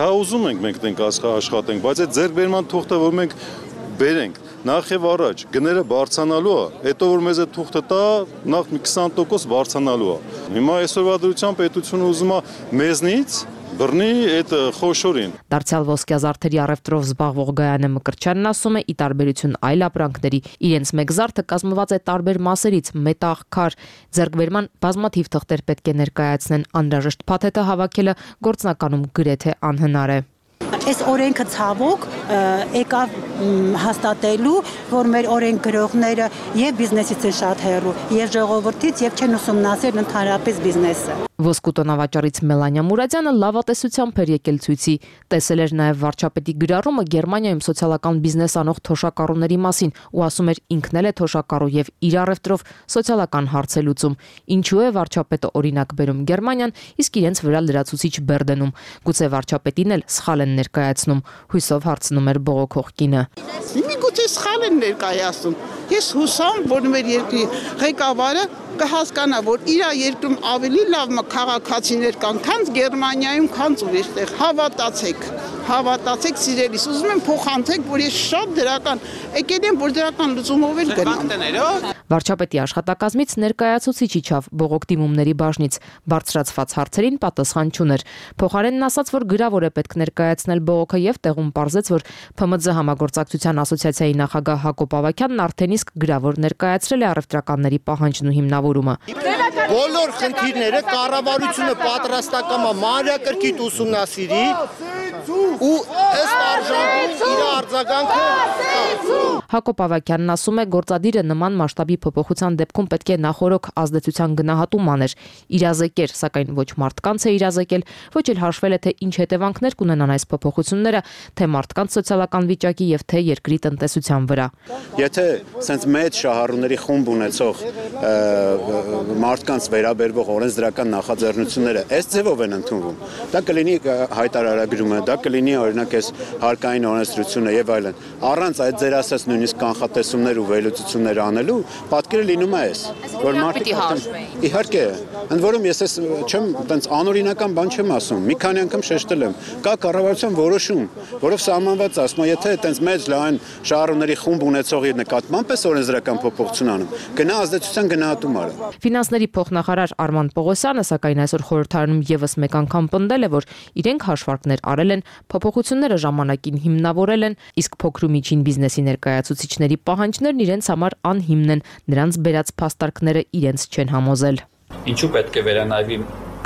Հա ուզում ենք մենք տենք աշխատենք, բայց այդ ձեռքբերման թուղթը, որ մենք բերենք, նախ եւ առաջ գները բարձրանալու է, հետո որ մեզ այդ թուղթը տա, նախ մի քսան տոկոս բարձրանալու է։ Հիմա այսօրվա դրությամբ պետությունը ուզում է մեզնից բռնի այդ խոշորին։ Դարձյալ ոսկյա զարդերի առևտրով զբաղվող Գայանե Մկրտչյանն ասում է, ի տարբերություն այլ ապրանքների, իրենց մեկ զարդը կազմված է տարբեր մասերից՝ մետաղ, քար, ձեռքբերման բազմաթիվ թղթեր պետք է ներկայացնեն, անհրաժեշտ փաթեթը հավաքելը գործնականում գրեթե անհնար է։ Այս օրենքը ցավոք եկավ հաստատելու, որ մեր օրենք գրողները եւ բիզնեսից են շատ հեռու, եւ ժողովրդից եւ չեն ուսումնասիրել ընդհանրապես բիզնեսը։ Ոսկու տոնավաճառից Մելանիա Մուրադյանը լավատեսությամբ էր եկել ցույցի, տեսել էր նաև վարչապետի գրառումը Գերմանիայում սոցիալական բիզնես անող թոշակառուների մասին ու ասում էր ինքն էլ է թոշակառու եւ իր առևտրով սոցիալական հարց է լուծում։ Ինչու է վարչապետը օրինակ բերում Գերմանիան, իսկ իրենց վրա լրացուցիչ բեռ դնում։ Գուցե վարչապետին էլ սխալ են ներկայացնում, հույսով հարցնում էր բողոքող կինը։ Միգուցե սխալ են ներկայացնում։ Ես հուսամ, որ մեր երկրի ղեկավարը կհասկանա, որ իր երկրում ավելի լավ քաղաքացիներ կան, քան Գերմանիայում, քան ուրիշտեղ։ Հավատացեք, հավատացեք սիրելիս, ուզում եմ փոխանցեք, որ ես շատ դրական եկել եմ, որ դրական լուծումով էլ գնամ։ Վարչապետի աշխատակազմից ներկայացուցիչ իջավ բողոք դիմումների բաժնից, բարձրացված հարցերին պատասխան չուներ։ Փոխարենն ասաց, որ գրավոր է պետք ներկայացնել բողոքը եւ տեղում պարզեց, որ ՓՄԶ համագործակցության ասոցիացիայի նախագահ Հակոբ Ավագյանն արդեն իսկ գրավոր ներկայացրել է առևտրականների պահանջն ու հիմնավորումը։ Բոլոր խնդիրները կառավարությունը պատրաստական է մանրակրկիտ ուսումնասիրի, ու ըստ արժանքի իր արձագանքը։ Հակոբ Ավագյանն ասում է, գործադիրը նման մասշտաբի փոփոխության դեպքում պետք է նախորոք ազդեցության գնահատում աներ, իրազեկեր, սակայն ոչ մարդկանց է իրազեկել, ոչ էլ հաշվել է, թե ինչ հետևանքներ կունենան այս փոփոխությունները, թե մարդկանց սոցիալական վիճակի եւ թե երկրի տնտեսության վրա։ Եթե sense մեծ շահառուների խումբ ունեցող մարդկանց վերաբերվող օրենսդրական նախաձեռնությունները այս ձևով են ընդունվում, դա կլինի հայտարարագրումը, դա կլինի օրինակ այս հարկային օրենսդրությունը եւ այլն։ Առանց այդ ձեր ասած նույնիսկ կանխատեսումներ ու վերլուծություններ անելու, պատկերը լինում է այս, որ մարդիկ իհարկե, ընդ որում ես ես չեմ, տենց անօրինական բան չեմ ասում, մի քանի անգամ շեշտել եմ, կա կառավարության որոշում, որով սահմանված է, ասում է, եթե տենց մեծ լայն շահառուների խումբ ունեցողի նկատմամբ էս օրենսդրական փոփոխություն անում, գնա ազդեցության գնահատում արա։ Ֆինանսների փոխնախարար Արման Պողոսյանը սակայն այսօր խորհրդարանում եւս մեկ անգամ պնդել է, որ իրենք հաշվարկներ արել են, փոփոխությունները ժամանակին հիմնավորել են, իսկ փոքր ու միջին բիզնեսի ներկայացուցիչների պահանջներն իրենց համար անհիմն են, նրանց բերած փաստարկները իրենց չեն համոզել։ Ինչու պետք է վերանայվի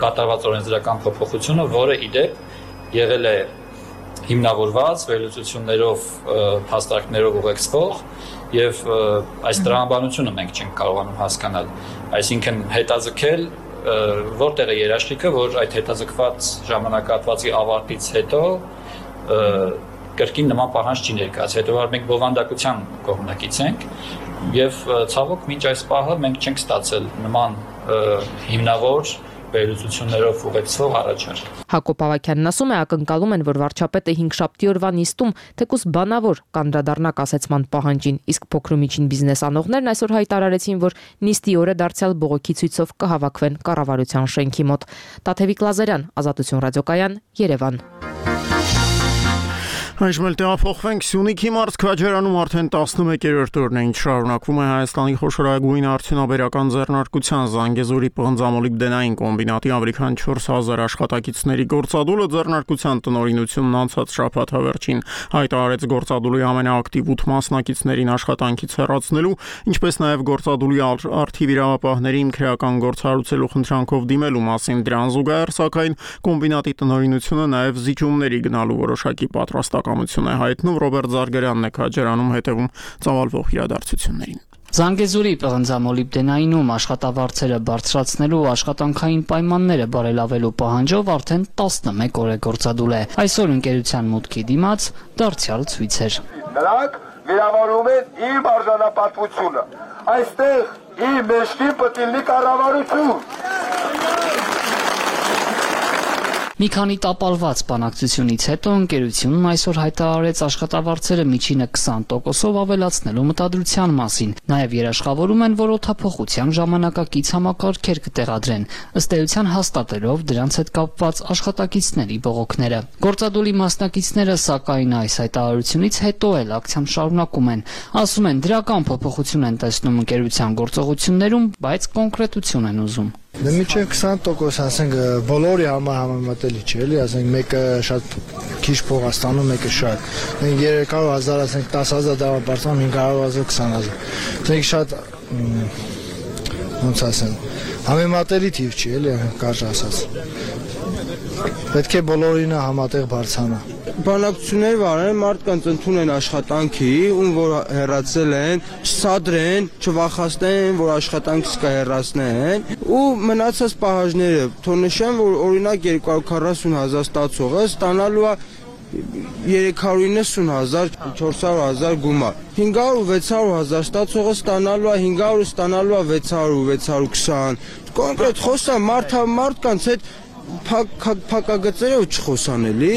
կատարված օրենսդրական փոփոխությունը, որը իդեպ եղել է հիմնավորված վերլուծություններով, փաստարկներով ուղեկցվող եւ այս տրամաբանությունը մենք չենք կարողանում հասկանալ, այսինքն հետաձգել որտեղ է երաշխիքը, որ այդ հետաձգված ժամանակահատվածի ավարտից հետո կրկին նման պահանջ չի ներկայացել, հետո որ մենք բովանդակության կողմնակից ենք եւ ցավոք մինչ այս պահը մենք չենք ստացել նման հիմնավոր վերլուծություններով ուղեկցող առաջարկ։ Հակոբ Ավագյանն ասում է, ակնկալում են, որ վարչապետը հինգշաբթի օրվա նիստում թեկուզ բանավոր կանդրադառնա կասեցման պահանջին, իսկ փոքր ու միջին բիզնես անողներն այսօր հայտարարեցին, որ նիստի օրը դարձյալ բողոքի ցույցով կհավաքվեն կառավարության շենքի մոտ։ Տաթևիկ Լազարյան, Ազատություն ռադիոկայան, Երևան։ Այժմ էլ տեղափոխվենք Սյունիքի մարզքաջարանում արդեն տասնմեկերորդ օրն է ինչ շարունակվում է Հայաստանի խոշորագույն արդյունաբերական ձեռնարկության Զանգեզուրի պղնձամոլիբդենային կոմբինատի ավելի քան չորս հազար աշխատակիցների գործադուլը ձեռնարկության տնօրինությունն անցած շաբաթ հավերջին հայտարարեց գործադուլի ամենաակտիվ ութ մասնակիցներին աշխատանքից հեռացնելու, ինչպես նաև գործադուլի արդիվ իրավապահներին քրեական գործ հարուցելու խնդրանքով դիմելու մասին։ Դրան զուգահեռ, սակայն կոմբինատի տնօրինությունը նաև զիջումների գնալու որոշակի պատրաստակ է հայտնում Ռոբերտ Զարգարյանն է քաջարանում հետևում ծավալվող իրադարձություններին։ Զանգեզուրի պղնձամոլիբդենայինում աշխատավարձերը բարձրացնելու ու աշխատանքային պայմանները բարելավելու պահանջով արդեն տասնմեկ օր է գործադուլ է։ Այսօր ընկերության մուտքի դիմաց դարձյալ ցույց էր։ Նրանք վիրավորում են իմ արժանապատվությունը։ Այստեղ իմ մեջքի պտիլնի կառավարություն։ Մի քանի տապալված բանակցությունից հետո ընկերությունն այսօր հայտարարեց աշխատավարձերը միջինը քսան տոկոսով ավելացնելու մտադրության մասին։ Նաև երաշխավորում են, որ օդափոխության ժամանակակից համակարգեր կտեղադրեն, ըստ էության հաստատելով դրանց հետ կապված աշխատակիցների բողոքները։ Գործադուլի մասնակիցները սակայն այս հայտարարությունից հետո էլ ակցիան շարունակում են։ Ասում են, դրական փոփոխություն են տեսնում ընկերության գործողություններում, բայց կոնկրետություն են ուզում։ Դե միջև քսան տոկոս, ասենք բոլորի համար համեմատելի չէ, էլի, ասենք մեկը շատ քիչ փող է ստանում, մեկը շատ։ Մենք երեք հարյուր հազար, ասենք տասը հազար դառը բարձրանում հինգ հարյուր հազար քսան հազար։ Ասենք շատ ոնց ասեմ, համեմատելի թիվ չի, էլի, կարճ ասած։ Պետք է բոլորինը համատեղ բարձրանա։ Բանակցություններ վարեն, մարդկանց ընդունեն աշխատանքի, ում որ հեռացել են, չսադրեն, չվախացնեն, որ աշխատանքից կհեռացնեն, ու մնացած պահանջները, թող նշեն, որ օրինակ երկու հարյուր քառասուն հազար ստացողը ստանալու է երեք հարյուր իննսուն հազար, չորս հարյուր հազար գումար։ հինգ հարյուր ու վեց հարյուր հազար ստացողը ստանալու է հինգ հարյուր ստանալու է վեց հարյուր ու վեց հարյուր քսան։ Կոնկրետ խոսա մարդ մարդկանց հետ փակագծերով չխոսան էլի։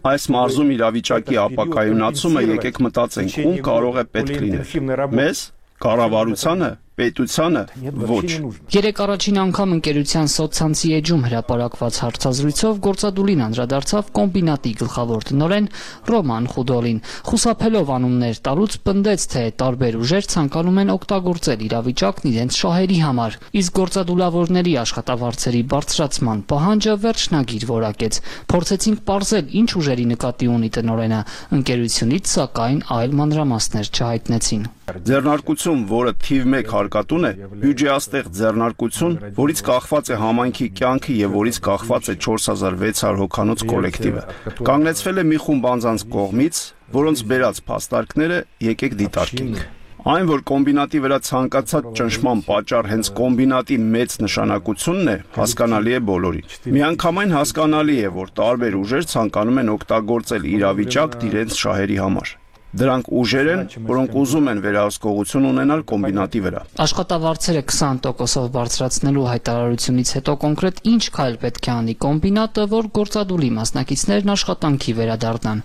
Այս մարզում իրավիճակի ապակայունացումը եկեք մտածենք, ում կարող է պետք լինել։ Մեզ, կառավարությանը, պետությանը ոչ։ Երեք առաջին անգամ ընկերության սոցցանցի էջում հրապարակված հարցազրույցով գործադուլին անդրադարձավ կոմբինատի գլխավոր տնօրեն Ռոման Խուդոլին։ Խուսափելով անուններ տալուց պնդեց, թե տարբեր ուժեր ցանկանում են օգտագործել իրավիճակն իրենց շահերի համար, իսկ գործադուլավորների աշխատավարձերի բարձրացման պահանջը վերջնագիր որակեց։ Փորձեցինք պարզել, ինչ ուժերի նկատի ունի տնօրենը, ընկերությունից սակայն այլ մանրամասներ չհայտնեցին։ Ձեռնարկություն, որը թիվ մեկ վարկատուն է բյուջեաստեղ ձեռնարկություն, որից կախված է համայնքի կյանքը եւ որից կախված է չորս հազար վեց հարյուր հոգանոց կոլեկտիվը։ Կանգնեցվել է մի խումբ անձանց կողմից, որոնց բերած փաստարկները եկեք դիտարկենք։ Այն, որ կոմբինատի վրա ցանկացած ճնշման պատճառ հենց կոմբինատի մեծ նշանակությունն է, հասկանալի է բոլորին։ Միանգամայն հասկանալի է, որ տարբեր ուժեր ցանկանում են օգտագործել իրավիճակն իրենց շահերի համար։ Դրանք ուժեր են, որոնք ուզում են վերահսկողություն ունենալ կոմբինատի վրա։ Աշխատավարձերը քսան տոկոսով բարձրացնելու հայտարարությունից հետո կոնկրետ ինչ քայլ պետք է անի կոմբինատը, որ գործադուլի մասնակիցներն աշխատանքի վերադառնան։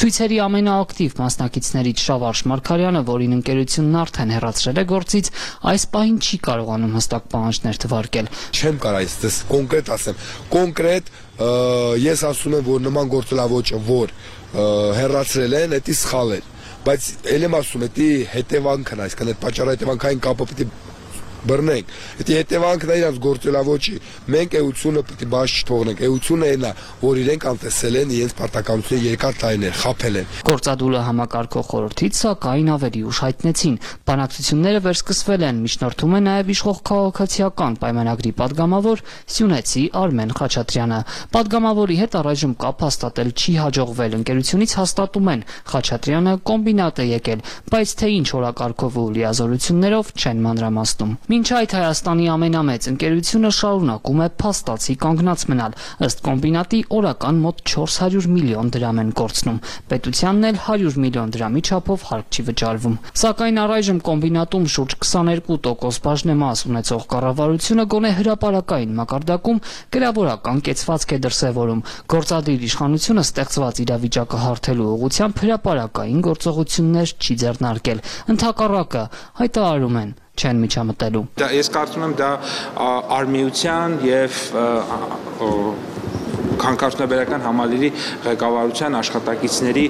Ցույցերի ամենաակտիվ մասնակիցներից Շավարժ Մարգարյանը, որին ընկերությունն արդեն հեռացրել է գործից, այս պահին չի կարողանում հստակ պահանջներ թվարկել։ Չեմ կարող այստեղ կոնկրետ ասեմ։ Կոնկրետ ես ասում եմ, որ նման գործելավոճը, որ հեռացրել են, դա սխալ է, բայց ել եմ ասում, դա հետևանքն է, այսինքն այդ պատճառահետևանքային կապը պետք է բռնենք։ Դա հետևանքն է իրանց գործելավոճի։ Մենք էությունը պետք է բաց չթողնենք։ Էությունը այն է, որ իրենք անտեսել են իրենց պարտականությունը երկար տարիներ, խաբել են։ Գործադուլը համակարգող խորհրդից սակայն ավելի ուշ հայտնեցին։ Բանակցությունները վերսկսվել են, միջնորդում է նաև իշխող քաղաքացիական պայմանագրի падգամավոր Սյունեցի Արմեն Խաչատրյանը։ Падգամավորի հետ առայժմ կապ հաստատել չի հաջողվել։ Ընկերությունից հաստատում են, Խաչատրյանը կոմբինատ է եկել, բայց թե ինչ օրակարգով ու լիազորություններով չեն մանրամասնում։ Մինչ այդ Հայաստանի ամենամեծ ընկերությունը շարունակում է փաստացի կանգնած մնալ, ըստ կոմբինատի օրական մոտ չորս հարյուր միլիոն դրամ են կորցնում, պետությանն էլ հարյուր միլիոն դրամի չափով հարկ չի վճարվում։ Սակայն առայժմ կոմբինատում շուրջ քսաներկու տոկոս բաժնեմաս ունեցող կառավարությունը գոնե հրապարակային մակարդակում գրավորական կեցվածք է դրսևորում։ Գործադիր իշխանությունը ստեղծված իրավիճակը հարթելու ուղղությամբ հրապարակային գործողություններ չի ձեռնարկել։ Ընդհակառակը հայտարարում են չեն միջամտելու։ Ես կարծում եմ դա արմիության եւ Հանքարդյունաբերական համալիրի ղեկավարության աշխատակիցների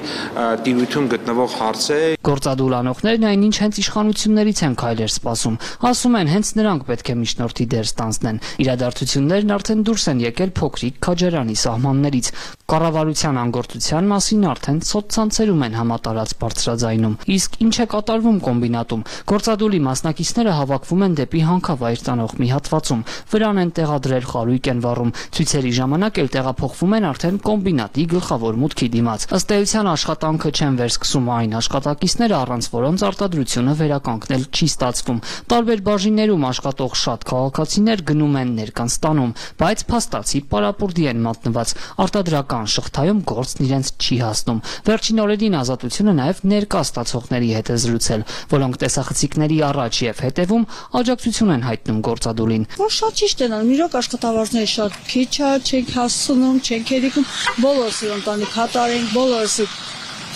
տիրույթում գտնվող հարց է։ Գործադուլանողներն այնինչ հենց իշխանություններից են քայլեր սպասում։ Ասում են, հենց նրանք պետք է միջնորդի դեր ստանձնեն։ Իրադարձություններն արդեն դուրս են եկել փոքրիկ քաջարանի սահմաններից։ Կառավարության անգործության մասին արդեն սոցցանցերում են համատարած բարձրաձայնում։ Իսկ ինչ է կատարվում կոմբինատում։ Գործադուլի մասնակիցները հավաքվում են դեպի հանքավայր տանող մի հատվածում։ Վրան են տեղադրել, խարույկ են վառում։ Ցույցերի ժամանակ էլ տեղափոխվում են արդեն կոմբինատի գլխավոր մուտքի դիմաց։ Ըստ էության աշխատանքը չեն վերսկսում այն աշխատակիցները, առանց որոնց արտադրությունը վերականգնել չի ստացվում։ Տարբեր բաժիններում աշխատող շատ քաղաքացիներ գնում են ներկանց տանում, բայց փաստացի պարապուրդի են մատնված։ Արտադրական շղթայում գործն իրենց չի հասնում։ Վերջին օրերին Ազատությունը նաև ներկա ստացողների հետ է զրուցել, որոնք տեսախցիկների առաջ եւ հետևում աջակցություն են հայտնում գործադուլին։ Որ շատ ճիշտ են անում, իրոք աշխատավարձները շատ քիչ է, չենք հասցնում, չենք երիկում, բոլորս ընտանիք հատարենք, բոլորս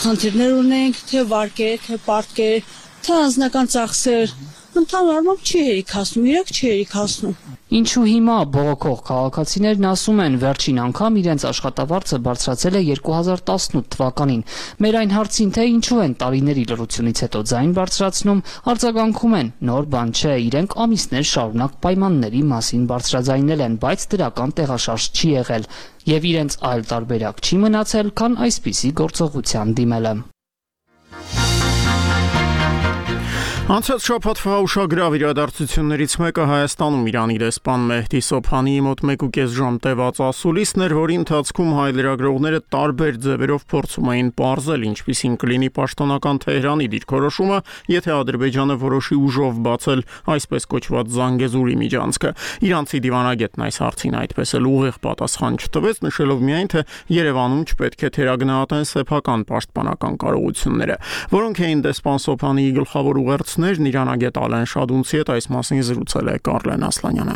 խնդիրներ ունենք, թե վարկեր, թե պարտքեր, թե անձնական ծախսեր։ Ընդհանուր առմամբ չի հերիք հասնում, իրոք չի հերիք հասնում։ Ինչու հիմա բողոքող քաղաքացիներն ասում են, վերջին անգամ իրենց աշխատավարձը բարձրացել է երկու հազար տասնութ թվականին։ Մեր այն հարցին, թե ինչու են տարիների լռությունից հետո ձայն բարձրացնում, արձագանքում են, նոր բան չէ, իրենք ամիսներ շարունակ պայմանների մասին բարձրաձայնել են, բայց դրական տեղաշարժ չի եղել, եւ իրենց այլ տարբերակ չի մնացել, քան այսպիսի գործողության դիմելը։ Անցած շաբաթվա ուշագրավ իրադարձություններից մեկը Հայաստանում Իրանի դեսպան Մեհդի Սոբհանիի մոտ մեկ ու կես ժամ տևած ասուլիսն էր, որի ընթացքում հայ լրագրողները տարբեր ձևերով փորձում էին պարզել, ինչպիսին կլինի պաշտոնական Թեհրանի դիրքորոշումը, եթե Ադրբեջանը որոշի ուժով բացել այսպես կոչված Զանգեզուրի միջանցքը։ Իրանցի դիվանագետն այս հարցին այդպես էլ ուղիղ պատասխան չտվեց, նշելով միայն, թե Երևանում չպետք է թերագնահատեն սեփական պաշտպանական կարողությունները, որոնք էին դեսպան Սոբհանիի գլխավոր ուղերձ Իրանագետ Ալեն Շադունցի հետ այս մասին զրուցել է Կարլեն Ասլանյանը։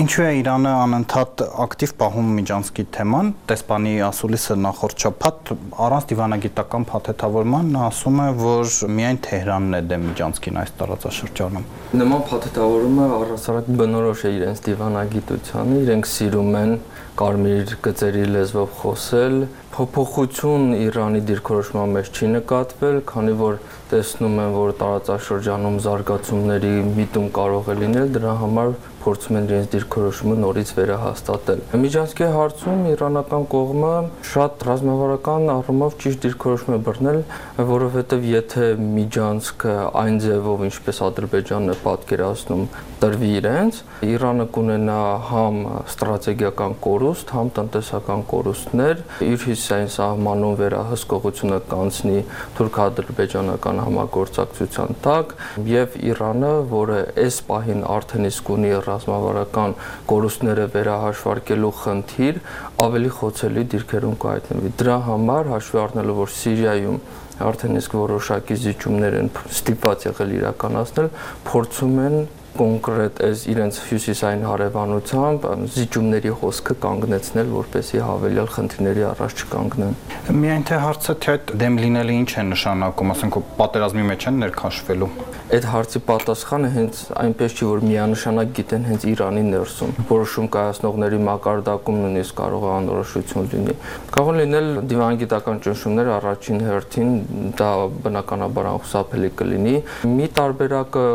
Ինչու է Իրանը անընդհատ ակտիվ պահում Միջանցքի թեման, դեսպանի ասուլիսը նախորդ շաբաթ առանց դիվանագիտական փաթեթավորման ասում է, որ միայն Թեհրանն է դեմ Միջանցքին այս տարածաշրջանում։ Նման փաթեթավորումը առհասարակ բնորոշ է իրենց դիվանագիտությանը, իրենք սիրում են կարմիր գծերի լեզվով խոսել, փոփոխություն Իրանի դիրքորոշման մեջ չի նկատվել, քանի որ տեսնում են, որ տարածաշրջանում զարգացումների միտում կարող է լինել, դրա համար փորձում են իրենց դիրքորոշումը նորից վերահաստատել։ Միջանցքի հարցում իրանական կողմը շատ ռազմավարական առումով ճիշտ դիրքորոշում է բռնել, որովհետև եթե միջանցքը այն ձևով, ինչպես Ադրբեջանն է պատկերացնում, տրվի իրենց, Իրանը կունենա համ ստրատեգիական կորուստ, համ տնտեսական կորուստներ, իր հյուսիսային սահմանում վերահսկողությունը կանցնի թուրք-ադրբեջանական համագործակցության տակ, եւ Իրանը, որը այս պահին արդեն իսկ ունի ռազմավարական կորուստները վերահաշվարկելու խնդիր, ավելի խոցելի դիրքերում կհայտնվի։ Դրա համար հաշվի առնելով, որ Սիրիայում արդեն իսկ որոշակի զիջումներ են ստիպված եղել իրականացնել, փորձում են կոնկրետ այս իրենց հյուսիսային հարևանությամբ զիջումների հոսքը կանգնեցնել, որպեսզի հավելյալ խնդիրների առաջ չկանգնեն։ Միայն թե հարցը թե այդ դեմ լինելը ինչ է նշանակում, ասենք պատերազմի մեջ են ներքաշվելու։ Այդ հարցի պատասխանը հենց այնպես չի, որ միանշանակ գիտեն հենց Իրանի ներսում։ Որոշում կայացնողների մակարդակում նույնիսկ կարող է անորոշություն լինի։ Կարող են լինել դիվանագիտական ճնշումներ առաջին հերթին, դա բնականաբար անխուսափելի կլինի։ Մի տարբերակը,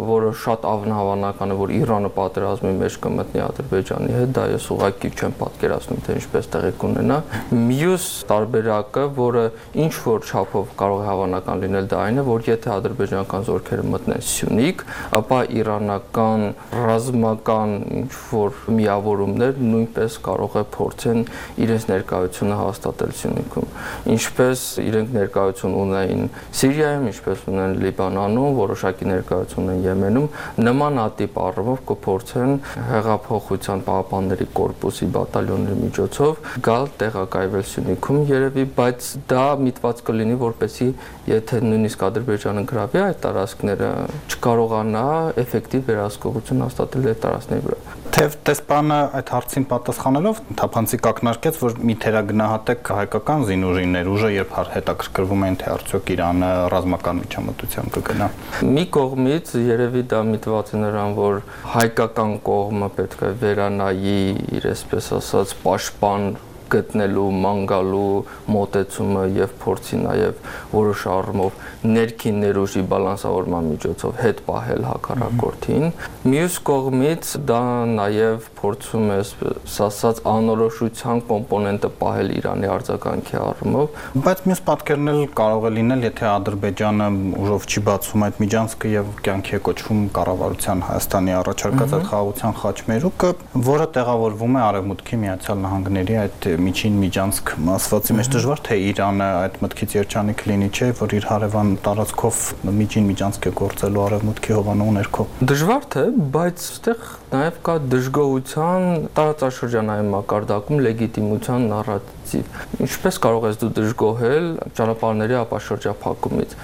որը շատ հավանական է, որ Իրանը պատերազմի մեջ կմտնի Ադրբեջանի հետ, դա ես ուղղակի չեմ պատկերացնում, թե ինչպես տեղի կունենա։ Մյուս տարբերակը, որը ինչ որ չափով կարող է հավանական լինել, դա այն է, որ եթե ադրբեջանական զորքերը մտնեն Սյունիք, ապա իրանական ռազմական ինչ որ միավորումներ նույնպես կարող է փորձեն իրենց ներկայությունը հաստատել Սյունիքում։ Ինչպես իրենք ներկայություն ունեն Սիրիայում, ինչպես ունեն Լիբանանում, որոշակի ներկայություն ունեն Եմենում, նմանատիպ առումով կփորձեն հեղափոխության պահապանների կորպուսի բատալյոնների միջոցով գալ տեղակայվել Սյունիքում երևի, բայց դա միտված կլինի, որպեսզի եթե նույնիսկ Ադրբեջանը գրավի այդ տարածքները, չկարողանա էֆեկտիվ վերահսկողություն հաստատել այդ տարածքների վրա։ Թեև տեսփանը այդ հարցին պատասխանելով թափանցիկ ակնարկեց, որ մի թերագնահատեք հայկական զինուժի ներուժը, երբ հետաքրքրվում են, թե արդյոք Իրանը ռազմական միջամտությամբ կգնա։ Մի կողմից երևի դա միտված է նրան, որ հայկական կողմը պետք է վերանայի իր այսպես ասած պաշտպան գտնելու, մանգալու մոտեցումը եւ փորձի նաեւ որոշ առումով ներքին ներուժի բալանսավորման միջոցով հետ պահել հակառակորդին։ Մյուս կողմից դա նաեւ փորձում է ասած անորոշության կոմպոնենտը պահել Իրանի արձագանքի առումով, բայց մյուս պատկերն էլ կարող է լինել, եթե Ադրբեջանը ուժով չի բացում այդ միջանցքը եւ կյանքի է կոչվում կառավարության Հայաստանի առաջարկած այդ խաղաղության խաչմերուկը, որը տեղավորվում է Արևմուտքի Միացյալ Նահանգների այդ միջին միջանցք ասվածի մեջ, դժվար թե Իրանը այդ մտքից երջանիկ լինի, չէ, որ իր հարևան տարածքով միջին միջանցք է գործելու Արևմուտքի հովանու ներքո։ Դժվար թե, բայց այստեղ նաև կա դժգոհության տարածաշրջանային մակարդակում լեգիտիմության նարատիվ։ Ինչպես կարող ես դու դժգոհել ճանապարհների ապաշրջափակումից։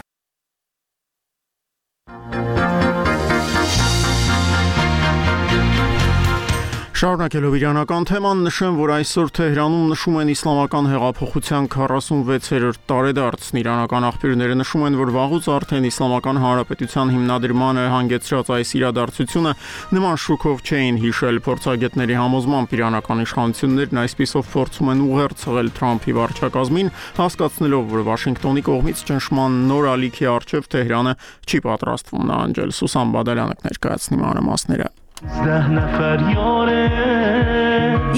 Շարունակելով իրանական թեման, նշեմ, որ այսօր Թեհրանում նշում են իսլամական հեղափոխության քառասունվեցերորդ տարեդարձն։ Իրանական աղբյուրները նշում են, որ վաղուց արդեն Իսլամական Հանրապետության հիմնադրմանը հանգեցրած այս իրադարձությունը նման շուկով չէին հիշել։ Փորձագետների համոզմամբ իրանական իշխանություններն այսպիսով փորձում են ուղերձել Թրամփի վարչակազմին, հասկացնելով, որ Վաշինգտոնի կողմից ճնշման նոր ալիքի առջև Թեհրանը չի պատրաստվում նահանջել։ Սուսան Բադալյանը կներկայացնի մանրամասները։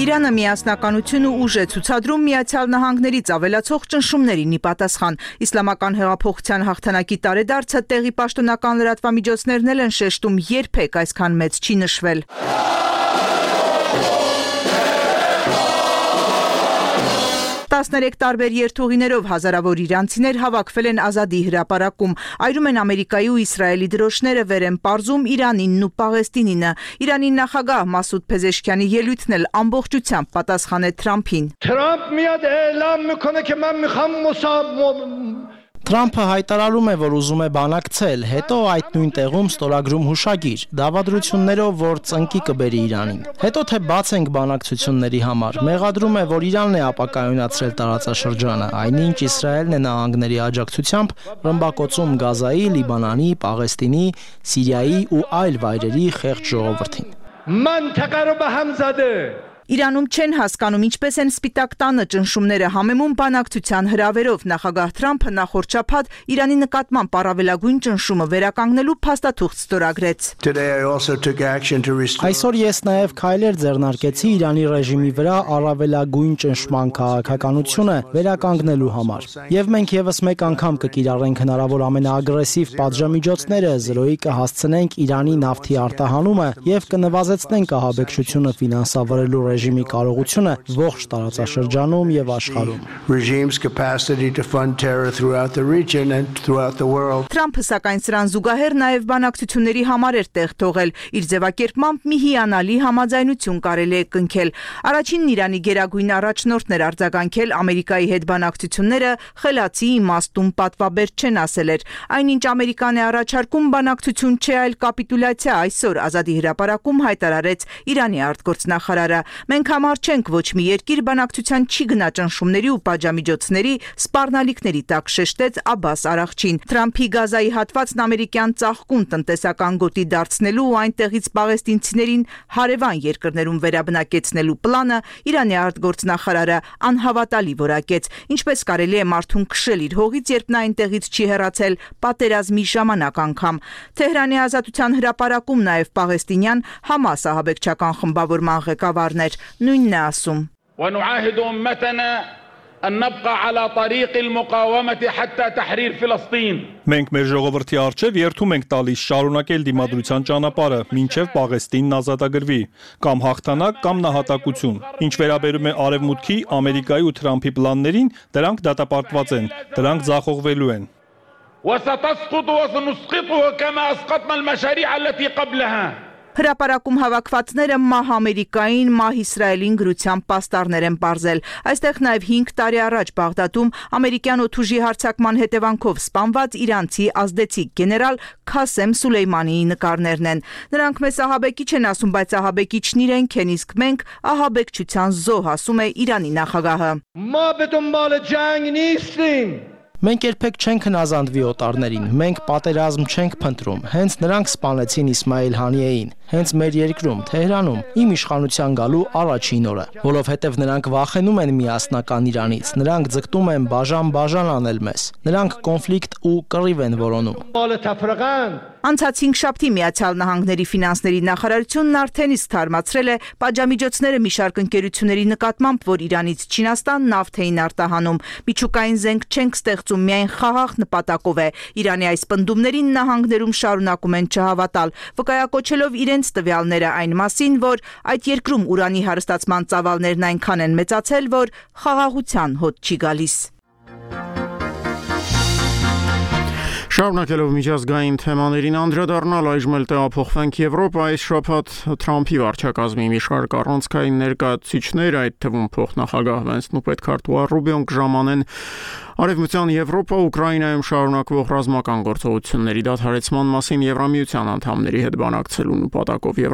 Իրանը միասնականություն ու ուժ է ցուցադրում Միացյալ Նահանգներից ավելացող ճնշումներին ի պատասխան։ Իսլամական հեղափոխության հաղթանակի տարեդարձը տեղի պաշտոնական լրատվամիջոցներն են շեշտում, երբեք այսքան մեծ չի նշվել։ տասներեք տարբեր երթուղիներով հազարավոր իրանցիներ հավաքվել են Ազադի հրապարակում, այրում են Ամերիկայի ու Իսրայելի դրոշները, վեր են պարզում Իրանինն ու Պաղեստինինը։ Իրանի նախագահ Մասուդ Փեզեշքյանի ելույթն էլ ամբողջությամբ պատասխան է Թրամփին։ Թրամփ միاد اعلام میکنه که من میخوام مصاب Թրամփը հայտարարում է, որ ուզում է բանակցել, հետո այդ նույն տեղում ստորագրում հուշագիր, դավադրություններով, որ ծնկի կբերի Իրանին։ Հետո թե բաց ենք բանակցությունների համար, մեղադրում է, որ Իրանն է ապակայունացրել տարածաշրջանը, այնինչ Իսրայելն է նահանգների աջակցությամբ ռմբակոծում Գազայի, Լիբանանի, Պաղեստինի, Սիրիայի ու այլ վայրերի խեղճ ժողովրդին։ منطقه رو به هم زده Իրանում չեն հասկանում ինչպես են Սպիտակ տանը ճնշումները համեմում բանակցության հրավերով։ Նախագահ Թրամփը նախորդ շաբաթ Իրանի նկատմամբ առավելագույն ճնշումը վերականգնելու փաստաթուղթ ստորագրեց։ Այսօր ես նաև քայլեր ձեռնարկեցի Իրանի ռեժիմի վրա առավելագույն ճնշման քաղաքականությունը վերականգնելու համար։ Եվ մենք եւս մեկ անգամ կկիրառենք հնարավոր ամենաագրեսիվ պատժամիջոցները, զրոյի կհասցնենք Իրանի նավթի արտահանումը եւ կնվազեցնենք ահաբեկչությունը ֆինանսավորելու ռեժիմի կարողությունը ողջ տարածաշրջանում եւ աշխարհում։ Թրամփը սակայն սրան զուգահեռ նաև բանակցությունների համար էր տեղ թողել։ Իր ձևակերպմամբ մի հիանալի համաձայնություն կարելի է կնքել։ Առաջինն Իրանի գերագույն առաջնորդն էր արձագանքել Ամերիկայի հետ բանակցությունները խելացի իմաստուն պատվաբեր չեն ասել էր։ Այնինչ Ամերիկան է առաջարկում բանակցություն չէ, այլ կապիտուլյացիա, այսօր Ազատի հրապարակում հայտարարեց Իրանի արտգործնախարարը։ Մենք համար չենք, ոչ մի երկիր բանակցության չի գնա ճնշումների ու պատժամիջոցների սպառնալիքների տակ, շեշտեց Աբբաս Արաղչին։ Թրամփի Գազայի հատվածն ամերիկյան ծաղկուն տնտեսական գոտի դարձնելու ու այնտեղից պաղեստինցիներին հարևան երկրներում վերաբնակեցնելու պլանը Իրանի արտգործնախարարը անհավատալի որակեց։ Ինչպես կարելի է մարդուն քշել իր հողից, երբ նա այնտեղից չի հեռացել պատերազմի ժամանակ անգամ։ Թեհրանի Ազատության հրապարակում նաև պաղեստինյան Համաս ահաբեկչական խմբավորման ղեկավարն էր, նույնն է ասում. أن نبقى على طريق المقاومة حتى تحرير فلسطين. Մենք մեր ժողովրդի առջև երթում ենք տալիս շարունակել դիմադրության ճանապարհը, մինչև Պաղեստինն ազատագրվի, կամ հաղթանակ, կամ նահատակություն։ Ինչ վերաբերում է Արևմուտքի, Ամերիկայի ու Թրամփի պլաններին, դրանք դատապարտված են, դրանք ձախողվելու են։ وستسقط وسنسقطها كما أسقطنا المشاريع التي قبلها. Հրապարակում հավաքվածները մահ Ամերիկային, մահ Իսրայելին գրության պաստառներ են պարզել։ Այստեղ նաև հինգ տարի առաջ Բաղդադում ամերիկյան օդուժի հարձակման հետևանքով սպանված իրանցի ազդեցիկ գեներալ Քասեմ Սուլեյմանիի նկարներն են։ Նրանք մեզ ահաբեկիչ են ասում, բայց ահաբեկիչն իրենք են, իսկ մենք ահաբեկչության զոհ, ասում է Իրանի նախագահը։ ما به دنبال جنگ نیستیم. Մենք երբեք չենք հնազանդվի օտարներին, մենք պատերազմ չենք փնտրում, հենց նրանք սպանեցին Իսմայիլ Հանիեին, հենց մեր երկրում, Թեհրանում, իմ իշխանության գալու առաջին օրը, որովհետև նրանք վախենում են միասնական Իրանից, նրանք ձգտում են բաժան-բաժան անել մեզ, նրանք կոնֆլիկտ ու կռիվ են որոնում։ Անցած հինգշաբթի Միացյալ Նահանգների ֆինանսների նախարարությունն արդեն իսկ թարմացրել է պատժամիջոցները մի շարք ընկերությունների նկատմամբ, որ Իրանից Չինաստան նավթ էին արտահանում։ Միջուկային զենք չենք ստեղծում, միայն խաղաղ նպատակով է։ Իրանի այս պնդումներին նահանգներում շարունակում են չհավատալ, վկայակոչելով իրենց տվյալները այն մասին, որ այդ երկրում ուրանի հարստացման ծավալներն այնքան են մեծացել, որ խաղաղության հոտ չի գալիս։ Շարունակելով միջազգային թեմաներին անդրադառնալ, այժմ էլ տեղափոխվենք Եվրոպա։ Այս շաբաթ Թրամփի վարչակազմի մի շարք առանցքային ներկայացուցիչներ, այդ թվում փոխնախագահ Վենսն ու պետքարտուղար Ռուբիոն կժամանեն Արևմտյան Եվրոպա Ուկրաինայում շարունակվող ռազմական գործողությունների դադարեցման մասին Եվրամիության անդամների հետ բանակցելու նպատակով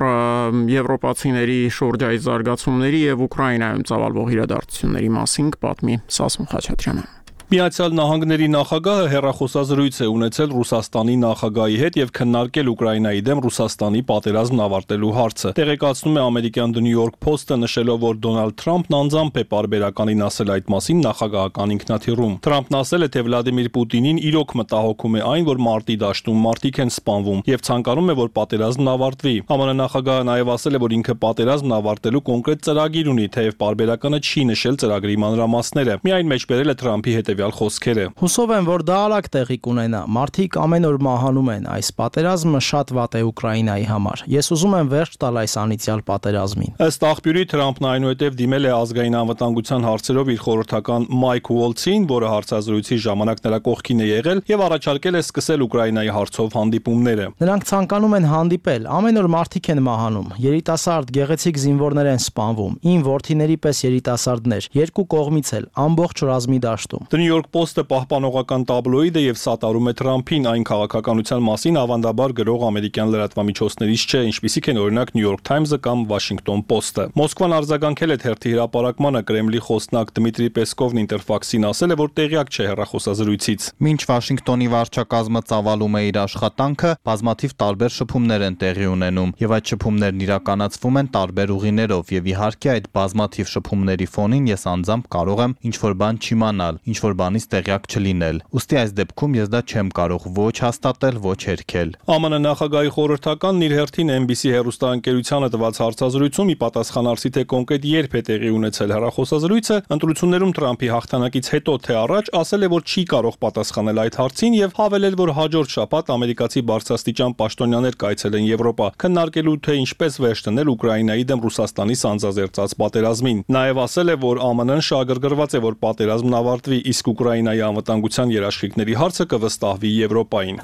եվրոպացիների շրջային զարգացումների եւ Ուկրաինայում ծավալվող իրադարձությունների մասին կպատմի Սասուն Խաչատրյանը։ Միացյալ Նահանգների նախագահը հեռախոսազրույց է ունեցել Ռուսաստանի նախագահի հետ եւ քննարկել Ուկրաինայի դեմ Ռուսաստանի պատերազմն ավարտելու հարցը։ Տեղեկացնում է ամերիկյան The New York Post-ը, նշելով, որ Դոնալդ Թրամփն անձամբ է պարբերականին ասել այդ մասին նախագահական ինքնաթիռում։ Թրամփն ասել է, թե Վլադիմիր Պուտինին իրոք մտահոգում է այն, որ մարտի դաշտում մարդիկ են սպանվում եւ ցանկանում է, որ պատերազմն ավարտվի։ ԱՄՆ նախագահը նաեւ ասել է, որ ինքը պատերազմն ավարտելու կոնկրետ ծրագիր ունի, թեև պարբերականը չի նշել ծրագրի մանրամասները։ Միայն մեջբերել է Թրամփի հետ խոսքերը։ Հուսով եմ, որ դա արագ տեղի կունենա։ Մարդիկ ամեն օր մահանում են։ Այս պատերազմը շատ վատ է Ուկրաինայի համար։ Ես ուզում եմ վերջ տալ այս անիծյալ պատերազմին։ Ըստ աղբյուրի Թրամփն այնուհետև դիմել է ազգային անվտանգության հարցերով իր խորհրդական Մայք Ուոլցին, որը հարցազրույցի ժամանակ նրա կողքին է եղել եւ առաջարկել է սկսել Ուկրաինայի հարցով հանդիպումները։ Նրանք ցանկանում են հանդիպել։ Ամեն օր մարդիկ են մահանում։ Երիտասարդ գեղեցիկ զինվորներ են սպանվում։ Իմ որդիների պես երիտասարդներ, երկու կողմից էլ, ամբողջ ռազմի դաշտում։ New York Post-ը պահպանողական տաբլոիդ է եւ սատարում է Թրամփին, այն քաղաքականության մասին ավանդաբար գրող ամերիկյան լրատվամիջոցներից չէ, ինչպիսիք են օրինակ New York Times-ը կամ Washington Post-ը։ Մոսկվան արձագանքել է թերթի հրապարակմանը, Կրեմլի խոսնակ Դմիտրի Պեսկովն Ինտերֆաքսին ասել է, որ տեղյակ չէ հեռախոսազրույցից։ Մինչ Վաշինգտոնի վարչակազմը ծավալում է իր աշխատանքը, բազմաթիվ տարբեր շփումներ են տեղի ունենում, եւ այդ շփումներն իրականացվում են տարբեր ուղիներով, եւ իհարկե այդ բազմաթիվ շփումների ֆոնին ես անձամբ կարող եմ ինչ-որ բան չիմանալ, ինչ-որ բանից տեղյակ չլինել։ Ուստի այս դեպքում ես դա չեմ կարող ոչ հաստատել, ոչ հերքել։ ԱՄՆ նախագահի խորհրդականն իր հերթին N B C հեռուստաընկերությանը տված հարցազրույցում ի պատասխան արսի թե կոնկրետ երբ է տեղի ունեցել հեռախոսազրույցը, ընտրություններում Թրամփի հաղթանակից հետո թե առաջ, ասել է, որ չի կարող պատասխանել այդ հարցին եւ հավելել, որ հաջորդ շաբաթ ամերիկացի բարձրաստիճան պաշտոնյաներ կայցելեն Եվրոպա, քննարկելու թե ինչպես վերջ դնել Ուկրաինայի դեմ Ռուսաստանի սանձազերծած պատերազմին։ Նաեւ ասել է, որ Ամն շահագրգռված է, որ պատերազմն ավարտվի, իսկ Ուկրաինայի անվտանգության երաշխիքների հարցը կվստահվի Եվրոպային։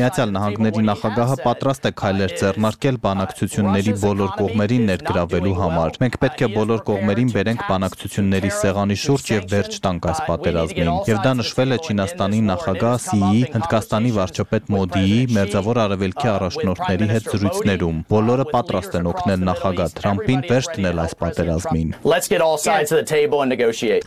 Միացյալ Նահանգների նախագահը պատրաստ է քայլեր ձեռնարկել բանակցությունների բոլոր կողմերին ներգրավելու համար։ Մենք պետք է բոլոր կողմերին բերենք բանակցությունների սեղանի շուրջ եւ վերջ տանք այս պատերազմին։ Եվ դա նշվել է Չինաստանի նախագահ Սիի, Հնդկաստանի վարչապետ Մոդիի, Մերձավոր Արևելքի առաջնորդների հետ զրույցներում։ Բոլորը պատրաստ են օգնել նախագահ Թրամփին վերջ դնել այս պատերազմին։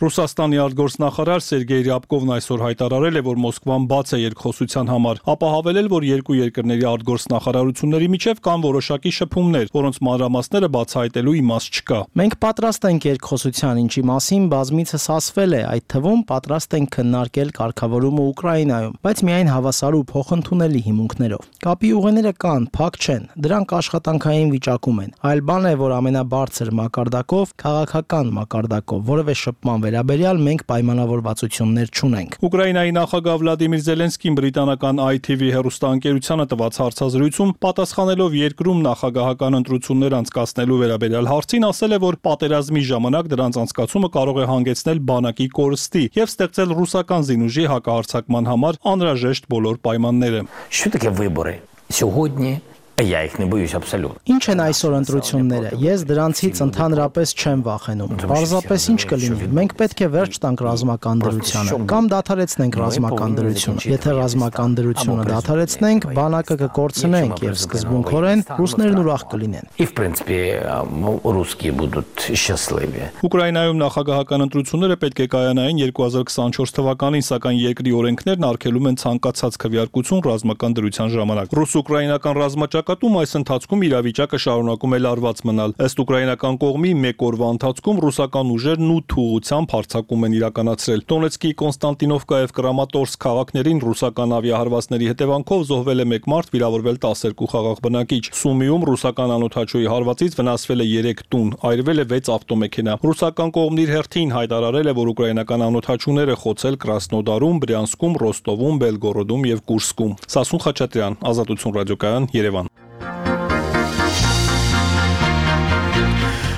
Ռուսաստանի արտգործնախարար Սերգեյ Ռյաբկովն այսօր հայտարարել է, որ Մոսկվան բաց է երկխոսության համար, ապա հավելել, որ երկու երկրների արտգործնախարարությունների միջև կան որոշակի շփումներ, որոնց մանրամասները բացահայտելու իմաստ չկա։ Մենք պատրաստ ենք երկխոսության, ինչի մասին բազմիցս ասվել է, այդ թվում պատրաստ ենք քննարկել կարգավորումը Ուկրաինայում, բայց միայն հավասար ու փոխընդունելի հիմունքներով։ Կապի ուղիները կան, փակ չեն, դրանք աշխատանքային վիճակում են։ Այլ բան է, որ ամենաբարձր մակարդակով, քաղաքական մակարդակով, որևէ շփման վերաբերյալ մենք պայմանավորվածություններ չունենք։ Ուկրաինայի նախագահ Վլադիմիր Զելենսկին բրիտանական I T V հեռուստաընկերությանը տված հարցազրույցում պատասխանելով երկրում նախագահական ընտրություններ անցկացնելու վերաբերյալ հարցին ասել է, որ պատերազմի ժամանակ դրանց անցկացումը կարող է հանգեցնել բանակի կորստի եւ ստեղծել ռուսական զինուժի հակահարձակման համար անհրաժեշտ բոլոր պայմանները։ Що таке вибори сьогодні? Я їх не боюсь абсолютно. Ինչ են այսօր ընտրությունները։ Ես դրանցից ընդհանրապես չեմ վախենում։ Պարզապես ինչ կլինի։ Մենք պետք է վերջ տանք ռազմական դրությանը կամ դադարեցնենք ռազմական դրությունը։ Եթե ռազմական դրությունը դադարեցնենք, բանակը կկորցնենք եւ սկզբունքորեն ռուսներն ուրախ կլինեն։ І в принципі русские будут счастливы. Ուկրաինայում նախագահական ընտրությունները պետք է կայանային երկու հազար քսանչորս թվականին, սակայն երկրի օրենքներն արգելում են ցանկացած քվեարկություն ռազմական դրության ժամանակ։ Ռուս-ուկրաինական ռազմաճակատում այս ընթացքում իրավիճակը շարունակում է լարված մնալ։ Ըստ ուկրաինական կողմի մեկ օրվա ընթացքում ռուսական ուժերն ութ ուղղությամբ հարձակում են իրականացրել։ Դոնեցկի, Կոնստանտինովկա եւ Կրամատորսկ քաղաքներին ռուսական ավիահարվածների հետևանքով զոհվել է մեկ մարդ, վիրավորվել տասներկու խաղաղ բնակիչ։ Սումիում ռուսական անօթաչուի հարվածից վնասվել է երեք տուն, այրվել է վեց ավտոմեքենա։ Ռուսական կողմն իր հերթին հայտարարել է, որ ուկրաինական անօթաչուները խոցել Կրասնոդարում, Բրյանսկում, Ռոստովում, Բելգորոդում եւ Կուրսկում։ Սասուն Խաչատրյան, Ազատություն ռադիոկայան, Երևան։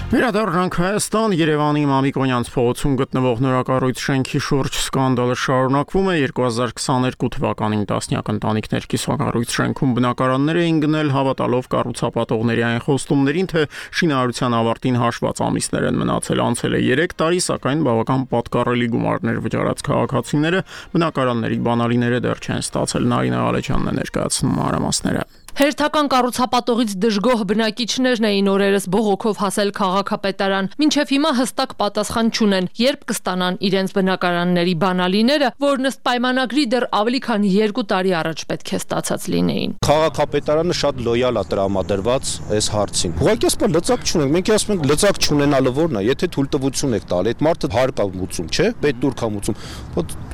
Վերադառնանք Հայաստան, Երևանի Մամիկոնյանց փողոցում գտնվող նորակառույց շենքի շուրջ սկանդալը շարունակվում է։ երկու հազար քսաներկու թվականին տասնյակ ընտանիքներ կիսակառույց շենքում բնակարաններ էին գնել, հավատալով կառուցապատողների այն խոստումներին, թե շինարարության ավարտին հաշված ամիսներ են մնացել։ Անցել է երեք տարի, սակայն բավական պատկառելի գումարներ վճարած քաղաքացիները բնակարանների բանալիները դեռ չեն ստացել։ Նարինե Ալեչյանն է ներկայացնում մանրամասները։ Հերթական կառուցապատողից դժգոհ բնակիչներն էին օրերս բողոքով հասել քաղաքապետարան, մինչև հիմա հստակ պատասխան չունեն, երբ կստանան իրենց բնակարանների բանալիները, որն ըստ պայմանագրի դեռ ավելի քան երկու տարի առաջ պետք է ստացած լինեին։ Քաղաքապետարանը շատ լոյալ է տրամադրված այս հարցին։ Ուղղակի ասում լծակ չունենք, մենք ասում ենք լծակ չունենալը որն է, եթե թույլտվություն եք տալի, այդ մարդը հարկ է մուծում, չէ՞, պետտուրք է մուծում։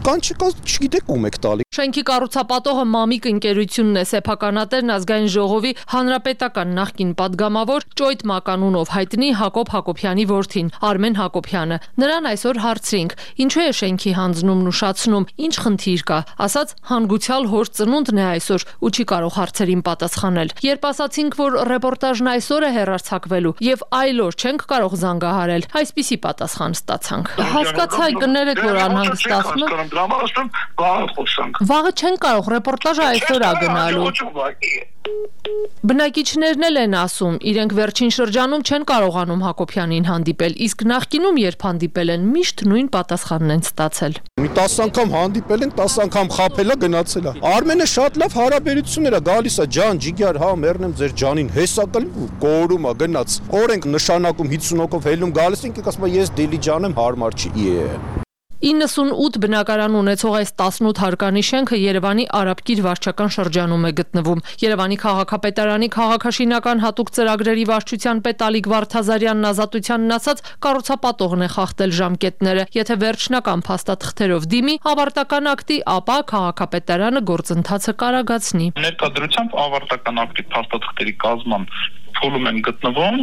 Կան չկա, չգիտեք ում եք տալի։ Շենքի կառուցապատողը Մամիկ ընկերությունն է, սեփականատերն ազգային ժողովի հանրապետական նախկին падգամավոր Ճոյթ Մականունով հայտնի Հակոբ Հակոբյանի որդին Արմեն Հակոբյանը։ Նրան այսօր հարցրինք, ինչու է շենքի հանձնումն ուշացնում, ինչ խնդիր կա, ասաց հանգուցյալ հոր ծնունդն է այսօր ու չի կարող հարցերին պատասխանել։ Երբ ասացինք, որ ռեպորտաժն այսօր է հեռարձակվելու եւ այլ օր չենք կարող զանգահարել, այսպիսի պատասխան ստացանք։ Հասկացա, կներեք, որ անհանգստացնում եք։ Վաղը չեն կարող, ռեպորտաժը այսօր է գնալու։ Բնակիչներն էլ են ասում, իրենք վերջին շրջանում չեն կարողանում Հակոբյանին հանդիպել, իսկ նախկինում երբ հանդիպել են, միշտ նույն պատասխանն են ստացել։ Մի տասը անգամ հանդիպել են, տասը անգամ խաբել է, գնացել է։ Արմենը շատ լավ հարաբերություններ է, գալիս է ջան, ջիգար, հա, մեռնեմ ձեր ջանին, հեսա կլի, կորում է, գնաց։ Օր ենք նշանակում հիսուն հոգով հելնում գալիս ենք, ասում է ես դիլի ջան եմ, հարմար չի։ իննսունութ բնակարան ունեցող այս տասնութ հարկանի շենքը Երևանի Արաբկիր վարչական շրջանում է գտնվում։ Երևանի քաղաքապետարանի քաղաքաշինական հատուկ ծրագրերի վարչության պետ Ալիկ Վարդազարյանն ազատությանն ասաց, կառուցապատողն է խախտել ժամկետները։ Եթե վերջնական փաստաթղթերով դիմի ավարտական ակտի, ապա քաղաքապետարանը գործընթացը կարագացնի։ Ներկայությամբ ավարտական ակտի փաստաթղթերի կազման փուլում են գտնվում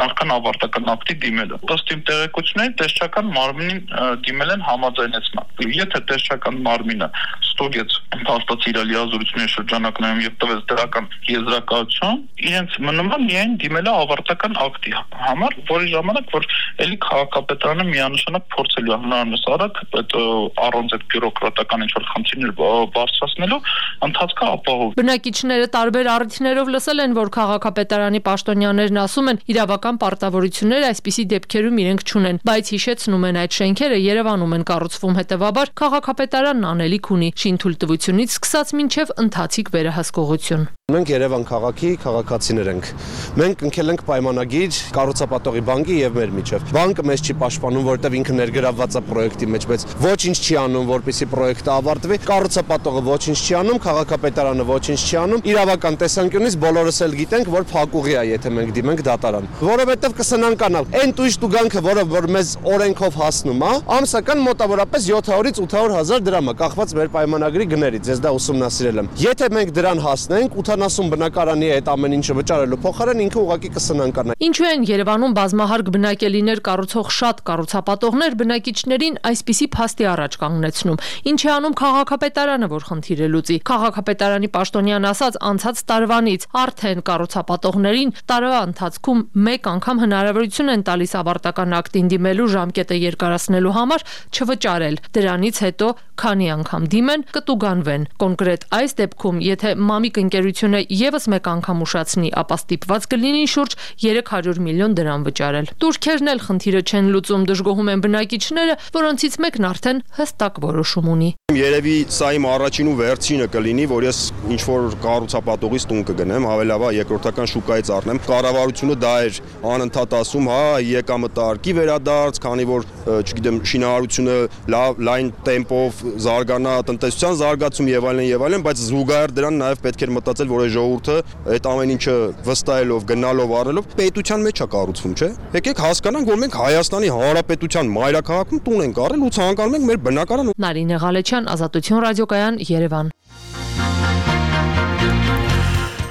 նախքան ավարտական ակտի դիմելը։ Ըստ իմ տեղեկությունների տեսչական մարմինին դիմել են համաձայնեցման։ Եթե տեսչական մարմինը ստուգեց փաստացի իր լիազորությունների շրջանակներում եւ տվեց դրական եզրակացություն, իրենց մնում է միայն դիմելը ավարտական ակտի համար, որի ժամանակ որ ելի քաղաքապետարանը միանշանակ փորձելու է հնարավորինս արագ այդ առանց այդ բյուրոկրատական ինչ-որ խնդիրներ բարձրացնելու ընթացքը ապահով։ Բնակիչները տարբեր առիթներով լսել են, որ քաղաքապետարանի պաշտոնյաներն ասում են, իրավական պարտավորություններ այսպիսի դեպքերում իրենք չունեն, բայց հիշեցնում են այդ շենքերը Երևանում են կառուցվում, հետևաբար քաղաքապետարանն անելիք ունի շինթույլտվությունից սկսած մինչև ընթացիկ վերահսկողություն։ Մենք Երևան քաղաքի քաղաքացիներ ենք։ Մենք ընկել ենք պայմանագիր կառուցապատողի բանկի եւ մեր միջև։ Բանկը մեզ չի պաշտպանում, որովհետեւ ինքը ներգրավված է պրոյեկտի մեջ, բայց ոչինչ չի անում, որպեսզի պրոյեկտը ավարտվի։ Կառուցապատողը ոչինչ չի անում, քաղաքապետարանը ոչինչ չի անում։ Իրավական տեսանկյունից բոլորս էլ գիտենք, որ փակուղի է, եթե մենք դիմենք դատարան, որովհետեւ կսնանկանալ այն տույժ տուգանքը, որը որ մեզ օրենքով հասնում է, ամսական մոտավորապես յոթ հարյուրից ութ հարյուր հազար դրամ է, կախված մեր պայմանագրի գներից։ Ես դա ուսումնասիրել եմ։ Եթե մենք դրան հասնենք, ութանասուն բնակարանի այդ ամեն ինչը վճարելու փոխարեն ինքը ուղղակի կսնանկանա։ Ինչու են Երևանում բազմահարկ բնակելիներ կառուցող շատ կառուցապատողներ բնակիչներին այսպիսի փաստի առաջ կանգնեցնում։ Ինչ է անում քաղաքապետարանը, որ խնդիրը լուծի։ Քաղաքապետարանի պաշտոնյան ասաց, անցած տարվանից արդեն կառուցապատողներին տարվա ընթացքում մեկ անգամ հնարավորություն են տալիս ավարտական ակտին դիմելու ժամկետը երկարացնելու համար չվճարել։ Դրանից հետո քանի անգամ դիմեն, կտուգանվեն։ Կոնկրետ այս դեպքում, եթե Մամիկ ընկերությունը եւս մեկ անգամ ուշացնի, ապա ստիպված կլինի շուրջ երեք հարյուր միլիոն դրամ վճարել։ Турքերն էլ խնդիրը չեն լուծում, դժգոհում են բնակիչները, որոնցից մեկն արդեն հստակ որոշում ունի։ Երևի սա իմ առաջին ու վերջինը կլինի, որ ես ինչ որ կառուցապատողից տուն կգնեմ, հավելաբար երկրորդական շուկայից առնեմ։ Կառավարությունը դա էր անընդհատ ասում, հա, եկամտարկի վերադարձ, քանի որ, չգիտեմ, շինարարությունը լավ լայն տեմպով զարգանա, տնտեսության զարգացում եւ այլն եւ այլն, բայց զուգահեռ դրան նաեւ պետք էր մտածել, որ այս ժողովուրդը այդ ամեն ինչը վստահելով, գնալով, առնելով պետության մեջ է կառուցվում, չէ՞։ Եկեք հասկանանք, որ մենք Հայաստանի Հանրապետության մայրաքաղաքում տուն ենք առել ու ցանկանում ենք մեր բնակարան։ Նարինե Ղալեչյան, Ազատություն ռադիոկայան, Երևան։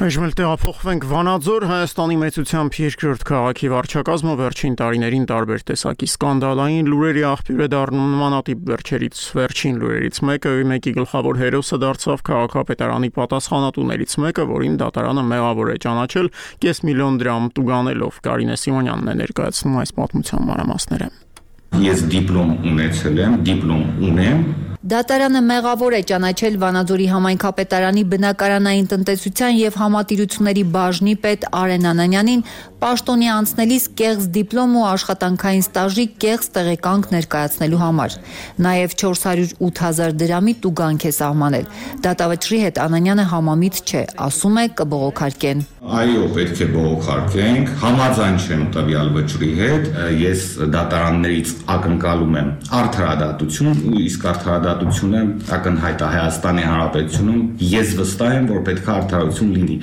Այժմ էլ տեղափոխվենք Վանաձոր, Հայաստանի մեծությամբ երկրորդ քաղաքի վարչակազմը վերջին տարիներին տարբեր տեսակի սկանդալային լուրերի աղբյուր է դառնում նմանատիպ վերջերից վերջին լուրերից մեկը մեկի գլխավոր հերոսը դարձավ քաղաքապետարանի պատասխանատուներից մեկը, որին դատարանը մեղավոր է ճանաչել կես միլիոն դրամ տուգանելով։ Կարինե Սիմոնյանն է ներկայացնում այս պատմության մանրամասները։ Ես դիպլոմ ունեցել եմ, դիպլոմ ունեմ։ Դատարանը մեղավոր է ճանաչել Վանաձորի համայնքապետարանի բնակարանային տնտեսության եւ համատիրությունների բաժնի պետ Արեն Անանյանին պաշտոնի անցնելիս կեղծ դիպլոմ ու աշխատանքային ստաժի կեղծ տեղեկանք ներկայացնելու համար։ Նաեւ չորս հարյուր ութ հազար դրամի տուգանք է սահմանել։ Դատավճռի հետ Անանյանը համամիտ չէ, ասում է կբողոքարկեն։ Այո, պետք է բողոքարկենք, համաձայն չեմ տվյալ վճռի հետ, ես դատարաններից ակնկալում եմ արդարադատություն, իսկ արդարադատությունը ակնհայտ է Հայաստանի Հանրապետությունում, ես վստահ եմ, որ պետք է արդարություն լինի։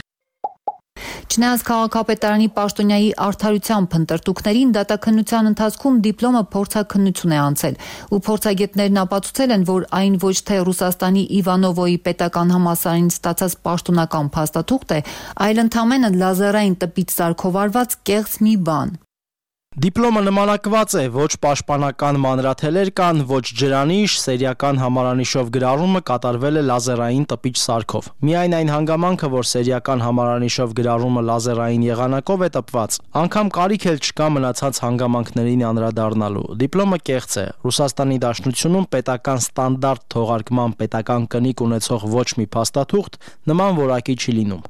Չնայած քաղաքապետարանի պաշտոնյայի արդարության փնտրտուքներին դատաքննության ընթացքում դիպլոմը փորձաքննություն է անցել, ու փորձագետներն ապացուցել են, որ այն ոչ թե Ռուսաստանի Իվանովոյի պետական համալսարանից ստացած պաշտոնական փաստաթուղթ է, այլ ընդամենը լազերային տպից սարքովարված կեղծ մի բան։ Դիպլոմը նմանակված է, ոչ պաշտպանական մանրաթելեր կան, ոչ ջրանիշ, սերիական համարանիշով գրառումը կատարվել է լազերային տպիչ սարքով։ Միայն այն հանգամանքը, որ սերիական համարանիշով գրառումը լազերային եղանակով է տպված, անգամ կարիք էլ չկա մնացած հանգամանքներին անդրադառնալու։ Դիպլոմը կեղծ է։ Ռուսաստանի Դաշնությունում պետական ստանդարտ թողարկման պետական կնիկ ունեցող ոչ մի փաստաթուղթ նման որակի չի լինում։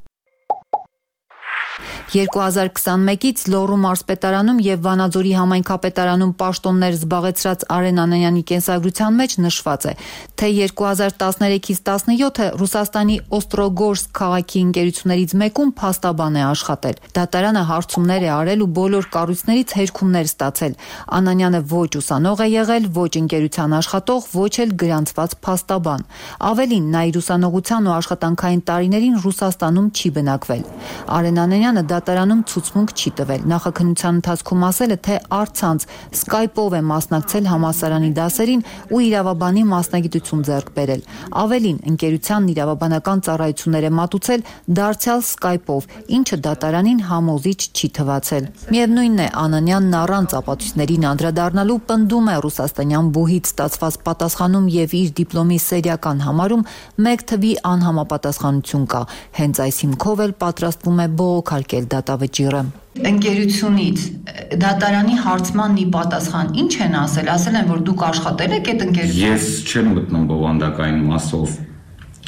երկու հազար քսանմեկից Լոռու մարզպետարանում եւ Վանաձորի համայնքապետարանում պաշտոններ զբաղեցրած Արեն Անանյանի կենսագրության մեջ նշված է, թե երկու հազար տասներեքից տասնյոթը Ռուսաստանի Օստրոգորսկ քաղաքի ընկերություններից մեկում փաստաբան է աշխատել։ Դատարանը հարցումներ է արել ու բոլոր կառույցներից հերքումներ ստացել։ Անանյանը ոչ ուսանող է եղել, ոչ ընկերության աշխատող, ոչ էլ գրանցված փաստաբան։ Ավելին, նա իր ուսանողության ու աշխատանքային տարիներին Ռուսաստանում չի բնակվել։ Արեն Անանյանը դատարանում ցուցմունք չի տվել։ Նախաքննության ընթացքում ասել է, թե առցանց Skype-ով է մասնակցել համալսարանի դասերին ու իրավաբանի մասնագիտություն ձեռք բերել։ Ավելին, ընկերությանն իրավաբանական ծառայություններ է մատուցել դարձյալ Skype-ով, ինչը դատարանին համոզիչ չի թվացել։ Միևնույնն է, Անանյանն առանց ապացույցներին անդրադառնալու պնդում է ռուսաստանյան բուհից ստացված պատասխանում եւ իր դիպլոմի սերիական համարում մեկ թվի անհամապատասխանություն կա։ Հենց այս հիմքով էլ պատրաստվում է բողոքարկել դատավճիռը։ Ընկերությունից դատարանի հարցմանն ի պատասխան ինչ են ասել, ասել են, որ դուք աշխատել եք այդ ընկերությունում։ Ես չեմ մտնում բովանդակային մասով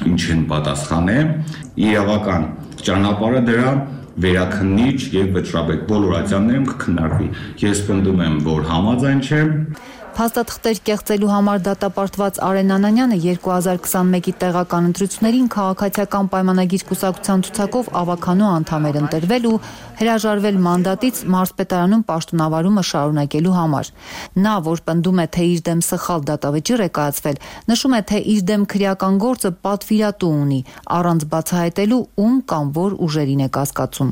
ինչ են պատասխանել, իրավական ճանապարհը դրա վերաքննիչ եւ վճռաբեկ բոլոր ատյաններում կքննարկվի։ Ես պնդում եմ, որ համաձայն չեմ։ Փաստաթղթեր կեղծելու համար դատապարտված Արեն Անանյանը երկու հազար քսանմեկի տեղական ընտրություններին քաղաքացիական պայմանագիր կուսակցության ցուցակով ավականու անդամ էր ընտրվել ու հրաժարվել մանդատից մարզպետարանում պաշտոնավարումը շարունակելու համար։ Նա, որ պնդում է, թե իր դեմ սխալ դատավճիռ է կայացվել, նշում է, թե իր դեմ քրեական գործը պատվիրատու ունի, առանց բացահայտելու ում կամ որ ուժերին է կասկածում։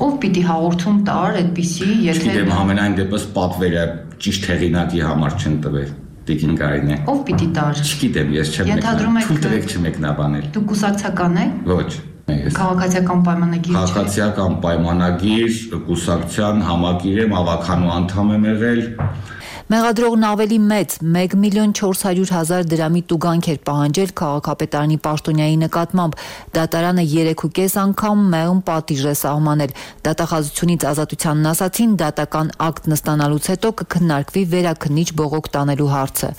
Ով պիտի հաղորդում տար այդպիսի, եթե Գիտեմ, ամենայն դեպս պատվերը ճիշտ հեղինակի համար չեն տվել։ Տիկին Կարինե։ Ով պիտի տար։ Չգիտեմ, ես չեմ մեկնաբանել։ Թույլ տվեք չմեկնաբանել։ Դուք կուսակցական եք։ Ոչ։ Քաղաքացիական պայմանագիր։ Քաղաքացիական պայմանագիր, կուսակցության համակիր եմ, ավականու անդամ եմ եղել։ Մեղադրողն ավելի մեծ մեկ միլիոն չորս հարյուր հազար դրամի տուգանք էր պահանջել քաղաքապետարանի պաշտոնյայի նկատմամբ։ Դատարանը երեքուկես անգամ մեղմ պատիժ է սահմանել։ Դատախազությունից ազատությանն ասացին, դատական ակտ նստանալուց հետո կքննարկվի վերաքննիչ բողոք տանելու հարցը։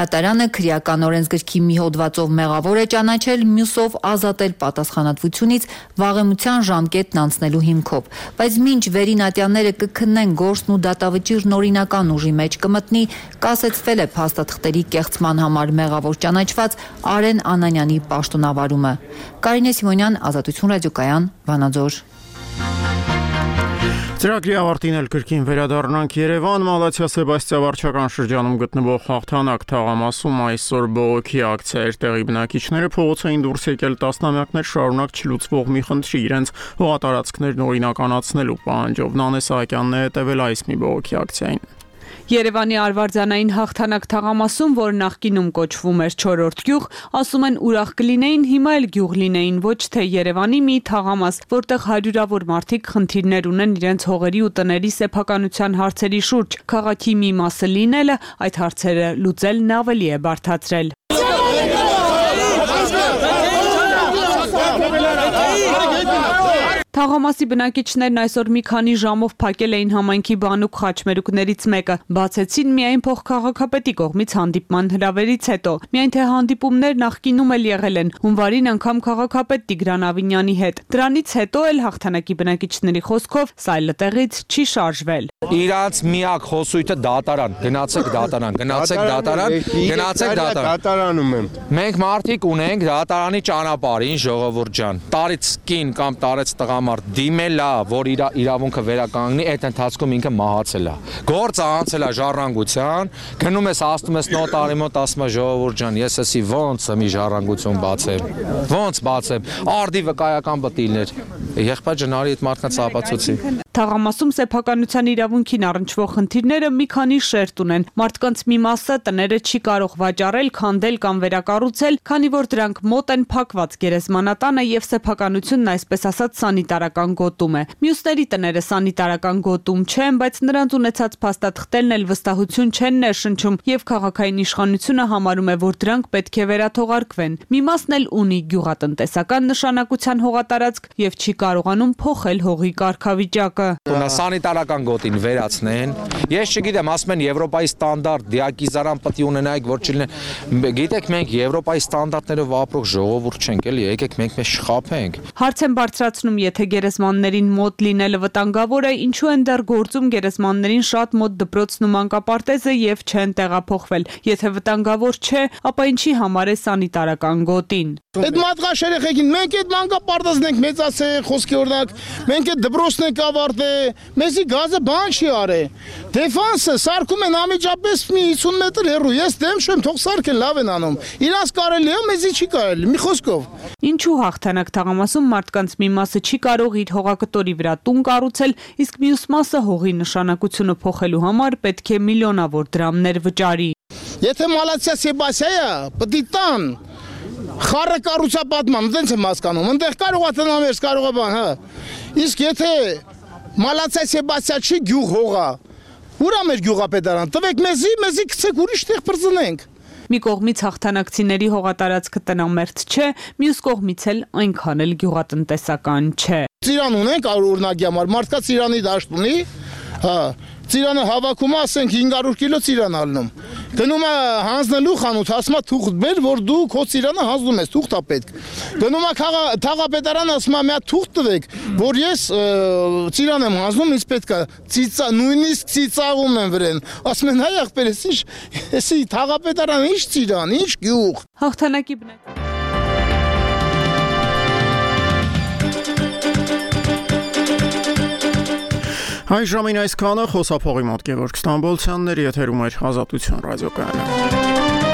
Դատարանը քրեական օրենսգրքի մի հոդվածով մեղավոր է ճանաչել, մյուսով ազատել պատասխանատվությունից վաղեմության ժամկետն անցնելու հիմքով։ Բայց մինչ վերին ատյանները կքննեն գործն ու դատավճիռն օրինական ուժի մեջ մտնի, կասեցվել է փաստաթղթերի կեղծման համար մեղավոր ճանաչված Արեն Անանյանի պաշտոնավարումը։ Կարինե Սիմոնյան, Ազատություն ռադիոկայան, Վանաձոր։ Ծրագրի ավարտին էլ կրկին վերադառնանք Երևան, Մալաթիա Սեբաստիա վարչական շրջանում գտնվող Հաղթանակ թաղամասում այսօր բողոքի ակցիա էր տեղի բնակիչները փողոցային դուրս եկել տասնամյակներ շարունակ չլուծվող մի խնդրի իրենց հողատարածքներն օրինականացնելու պահանջով։ Նանե Սահակյանն է հետևել այս մի բողոքի ակցիային։ Երևանի Արվարձանային Հաղթանակ թաղամասում, որ նախկինում կոչվում էր չորրորդ գյուղ, ասում են ուրախ կլինեին, հիմա էլ գյուղ լինեին, ոչ թե Երևանի մի թաղամաս, որտեղ հարյուրավոր մարդիկ խնդիրներ ունեն իրենց հողերի ու տների սեփականության հարցերի շուրջ։ Քաղաքի մի մասը լինելը այդ հարցերը լուծելն ավելի է բարդացրել։ Թաղամասի բնակիչներն այսօր մի քանի ժամով փակել էին համայնքի բանուկ խաչմերուկներից մեկը, բացեցին միայն փոխքաղաքապետի կողմից հանդիպման հրավերից հետո։ Միայն թե հանդիպումներ նախկինում էլ եղել են, հունվարին անգամ քաղաքապետ Տիգրան Ավինյանի հետ։ Դրանից հետո էլ Հաղթանակի բնակիչների խոսքով սա այլտեղից չի շարժվել։ Իրանց միակ խոսույթը դատարան, գնացեք դատարան, գնացեք դատարան, գնացեք դատարան։ Դատարանում եմ։ Մենք մարդիկ ունենք դատարանի ճանապարհին, ժողովուրդ ջան։ Տարից կին կամ տարեց տղամարդ դիմել է, որ իր իրավունքը վերականգնի, այդ ընթացքում ինքը մահացել է։ Գործը անցել է ժառանգության, գնում ես ասում ես նոտարի մոտ, ասում է ժողովուրդ ջան, ես էսի ոնց մի ժառանգություն բացեմ։ Ոնց բացեմ։ Արդի վկայական բտիլներ։ Եղբայր ջան, արի այդ մարդկանց ապացուցի։ Թաղամասում սեփականության իրավունքին առնչվող խնդիրները մի քանի շերտ ունեն։ Մարդկանց մի մասը տները չի կարող վաճառել, քանդել կամ վերակառուցել, քանի որ դրանք մոտ են փակված գերեզմանատանը եւ սեփականությունն այսպես ասած սանիտարական գոտում է։ Մյուսների տները սանիտարական գոտում չեն, բայց նրանց ունեցած փաստաթղթերն էլ վստահություն չեն ներշնչում եւ քաղաքային իշխանությունը համարում է, որ դրանք պետք է վերաթողարկվեն։ Մի մասն էլ ունի գյուղատնտեսական նշանակության հողատարածք եւ չի կարողանում փոխել հողի կարգավիճակը։ Ունա սանիտարական գոտին վերացնեն։ Ես չգիտեմ, ասում են Եվրոպայի ստանդարտ, դիակիզարան պետք է ունենայք, որ չլինեն։ Գիտեք, մենք Եվրոպայի ստանդարտներով ապրող ժողովուրդ չենք, էլի, եկեք մենք մեզ շխափենք։ Հարց են բարձրացնում, եթե գերեզմաններին մոտ լինելը վտանգավոր է, ինչու են դեռ գործում գերեզմաններին շատ մոտ դպրոցն ու մանկապարտեզը եւ չեն տեղափոխվել։ Եթե վտանգավոր չէ, ապա ինչի համար է սանիտարական գոտին։ Այդ մատղաշ երեխեքին մենք այդ մանկապարտեզն ենք մեծացել, խոսքի օրինակ, մենք այդ դպրոցն ենք ավարտել, մեզի գազը բան չի արել։ Դեֆանսը սարքում են անմիջապես մի հիսուն մետր հեռու, ես դեմ չեմ, թող սարքեն, լավ են անում։ Իրանց կարելի է, մեզի չի կարելի, մի խոսքով։ Ինչու հաղթանակ թաղամասում մարդկանց մի մասը չի կարող իր հողակտորի վրա տուն կառուցել, իսկ մյուս մասը հողի նշանակությունը փոխելու համար պետք է միլիոնավոր դրամներ վճարի։ Եթե Մալացիա Սեբասիայը պիտի տան խառը կառուցապատման, դենց եմ հասկանում, ընդեղ կարող է տնամերս, կարող է բան, հա։ Իսկ եթե Մալացիա Սեբասիա չի գյուղ հողա, ուրա մեր գյուղապետարան, տվեք մեզի, մեզի գցեք ուրիշ տեղ բրծնենք։ Մի կողմից հաղթանակցիների հողատարածքը տնամերձ չէ, մյուս կողմից էլ այնքան էլ գյուղատնտեսական չէ։ Ծիրան ունենք օրինակի համար, մարդկա ծիրանի դաշտ ունի, հա, ծիրանը հավաքում ասենք հինգ հարյուր կիլո ծիրան ալնում։ Գնում է հանձնելու խանութ, ասում է թուղթ բեր, որ դու քո ծիրանը հանձնում ես, թուղթ է պետք։ Գնում է թաղապետարան, ասում է մի հատ թուղթ տվեք, որ ես ծիրան եմ հանձնում, ինձ պետք է ծիծա, նույնիսկ ծիծաղում են վրեն։ Ասում են հայ ախպեր, ես ինչ, էսի թաղապետարան ինչ ծիրան, ինչ գյուղ։ Հաղթանակի բնակ Այս ժամին այսքանը խոսափողի մոտ Գևորգ Ստամբոլցյանն էր, եթերում էր Ազատություն ռադիոկայանը։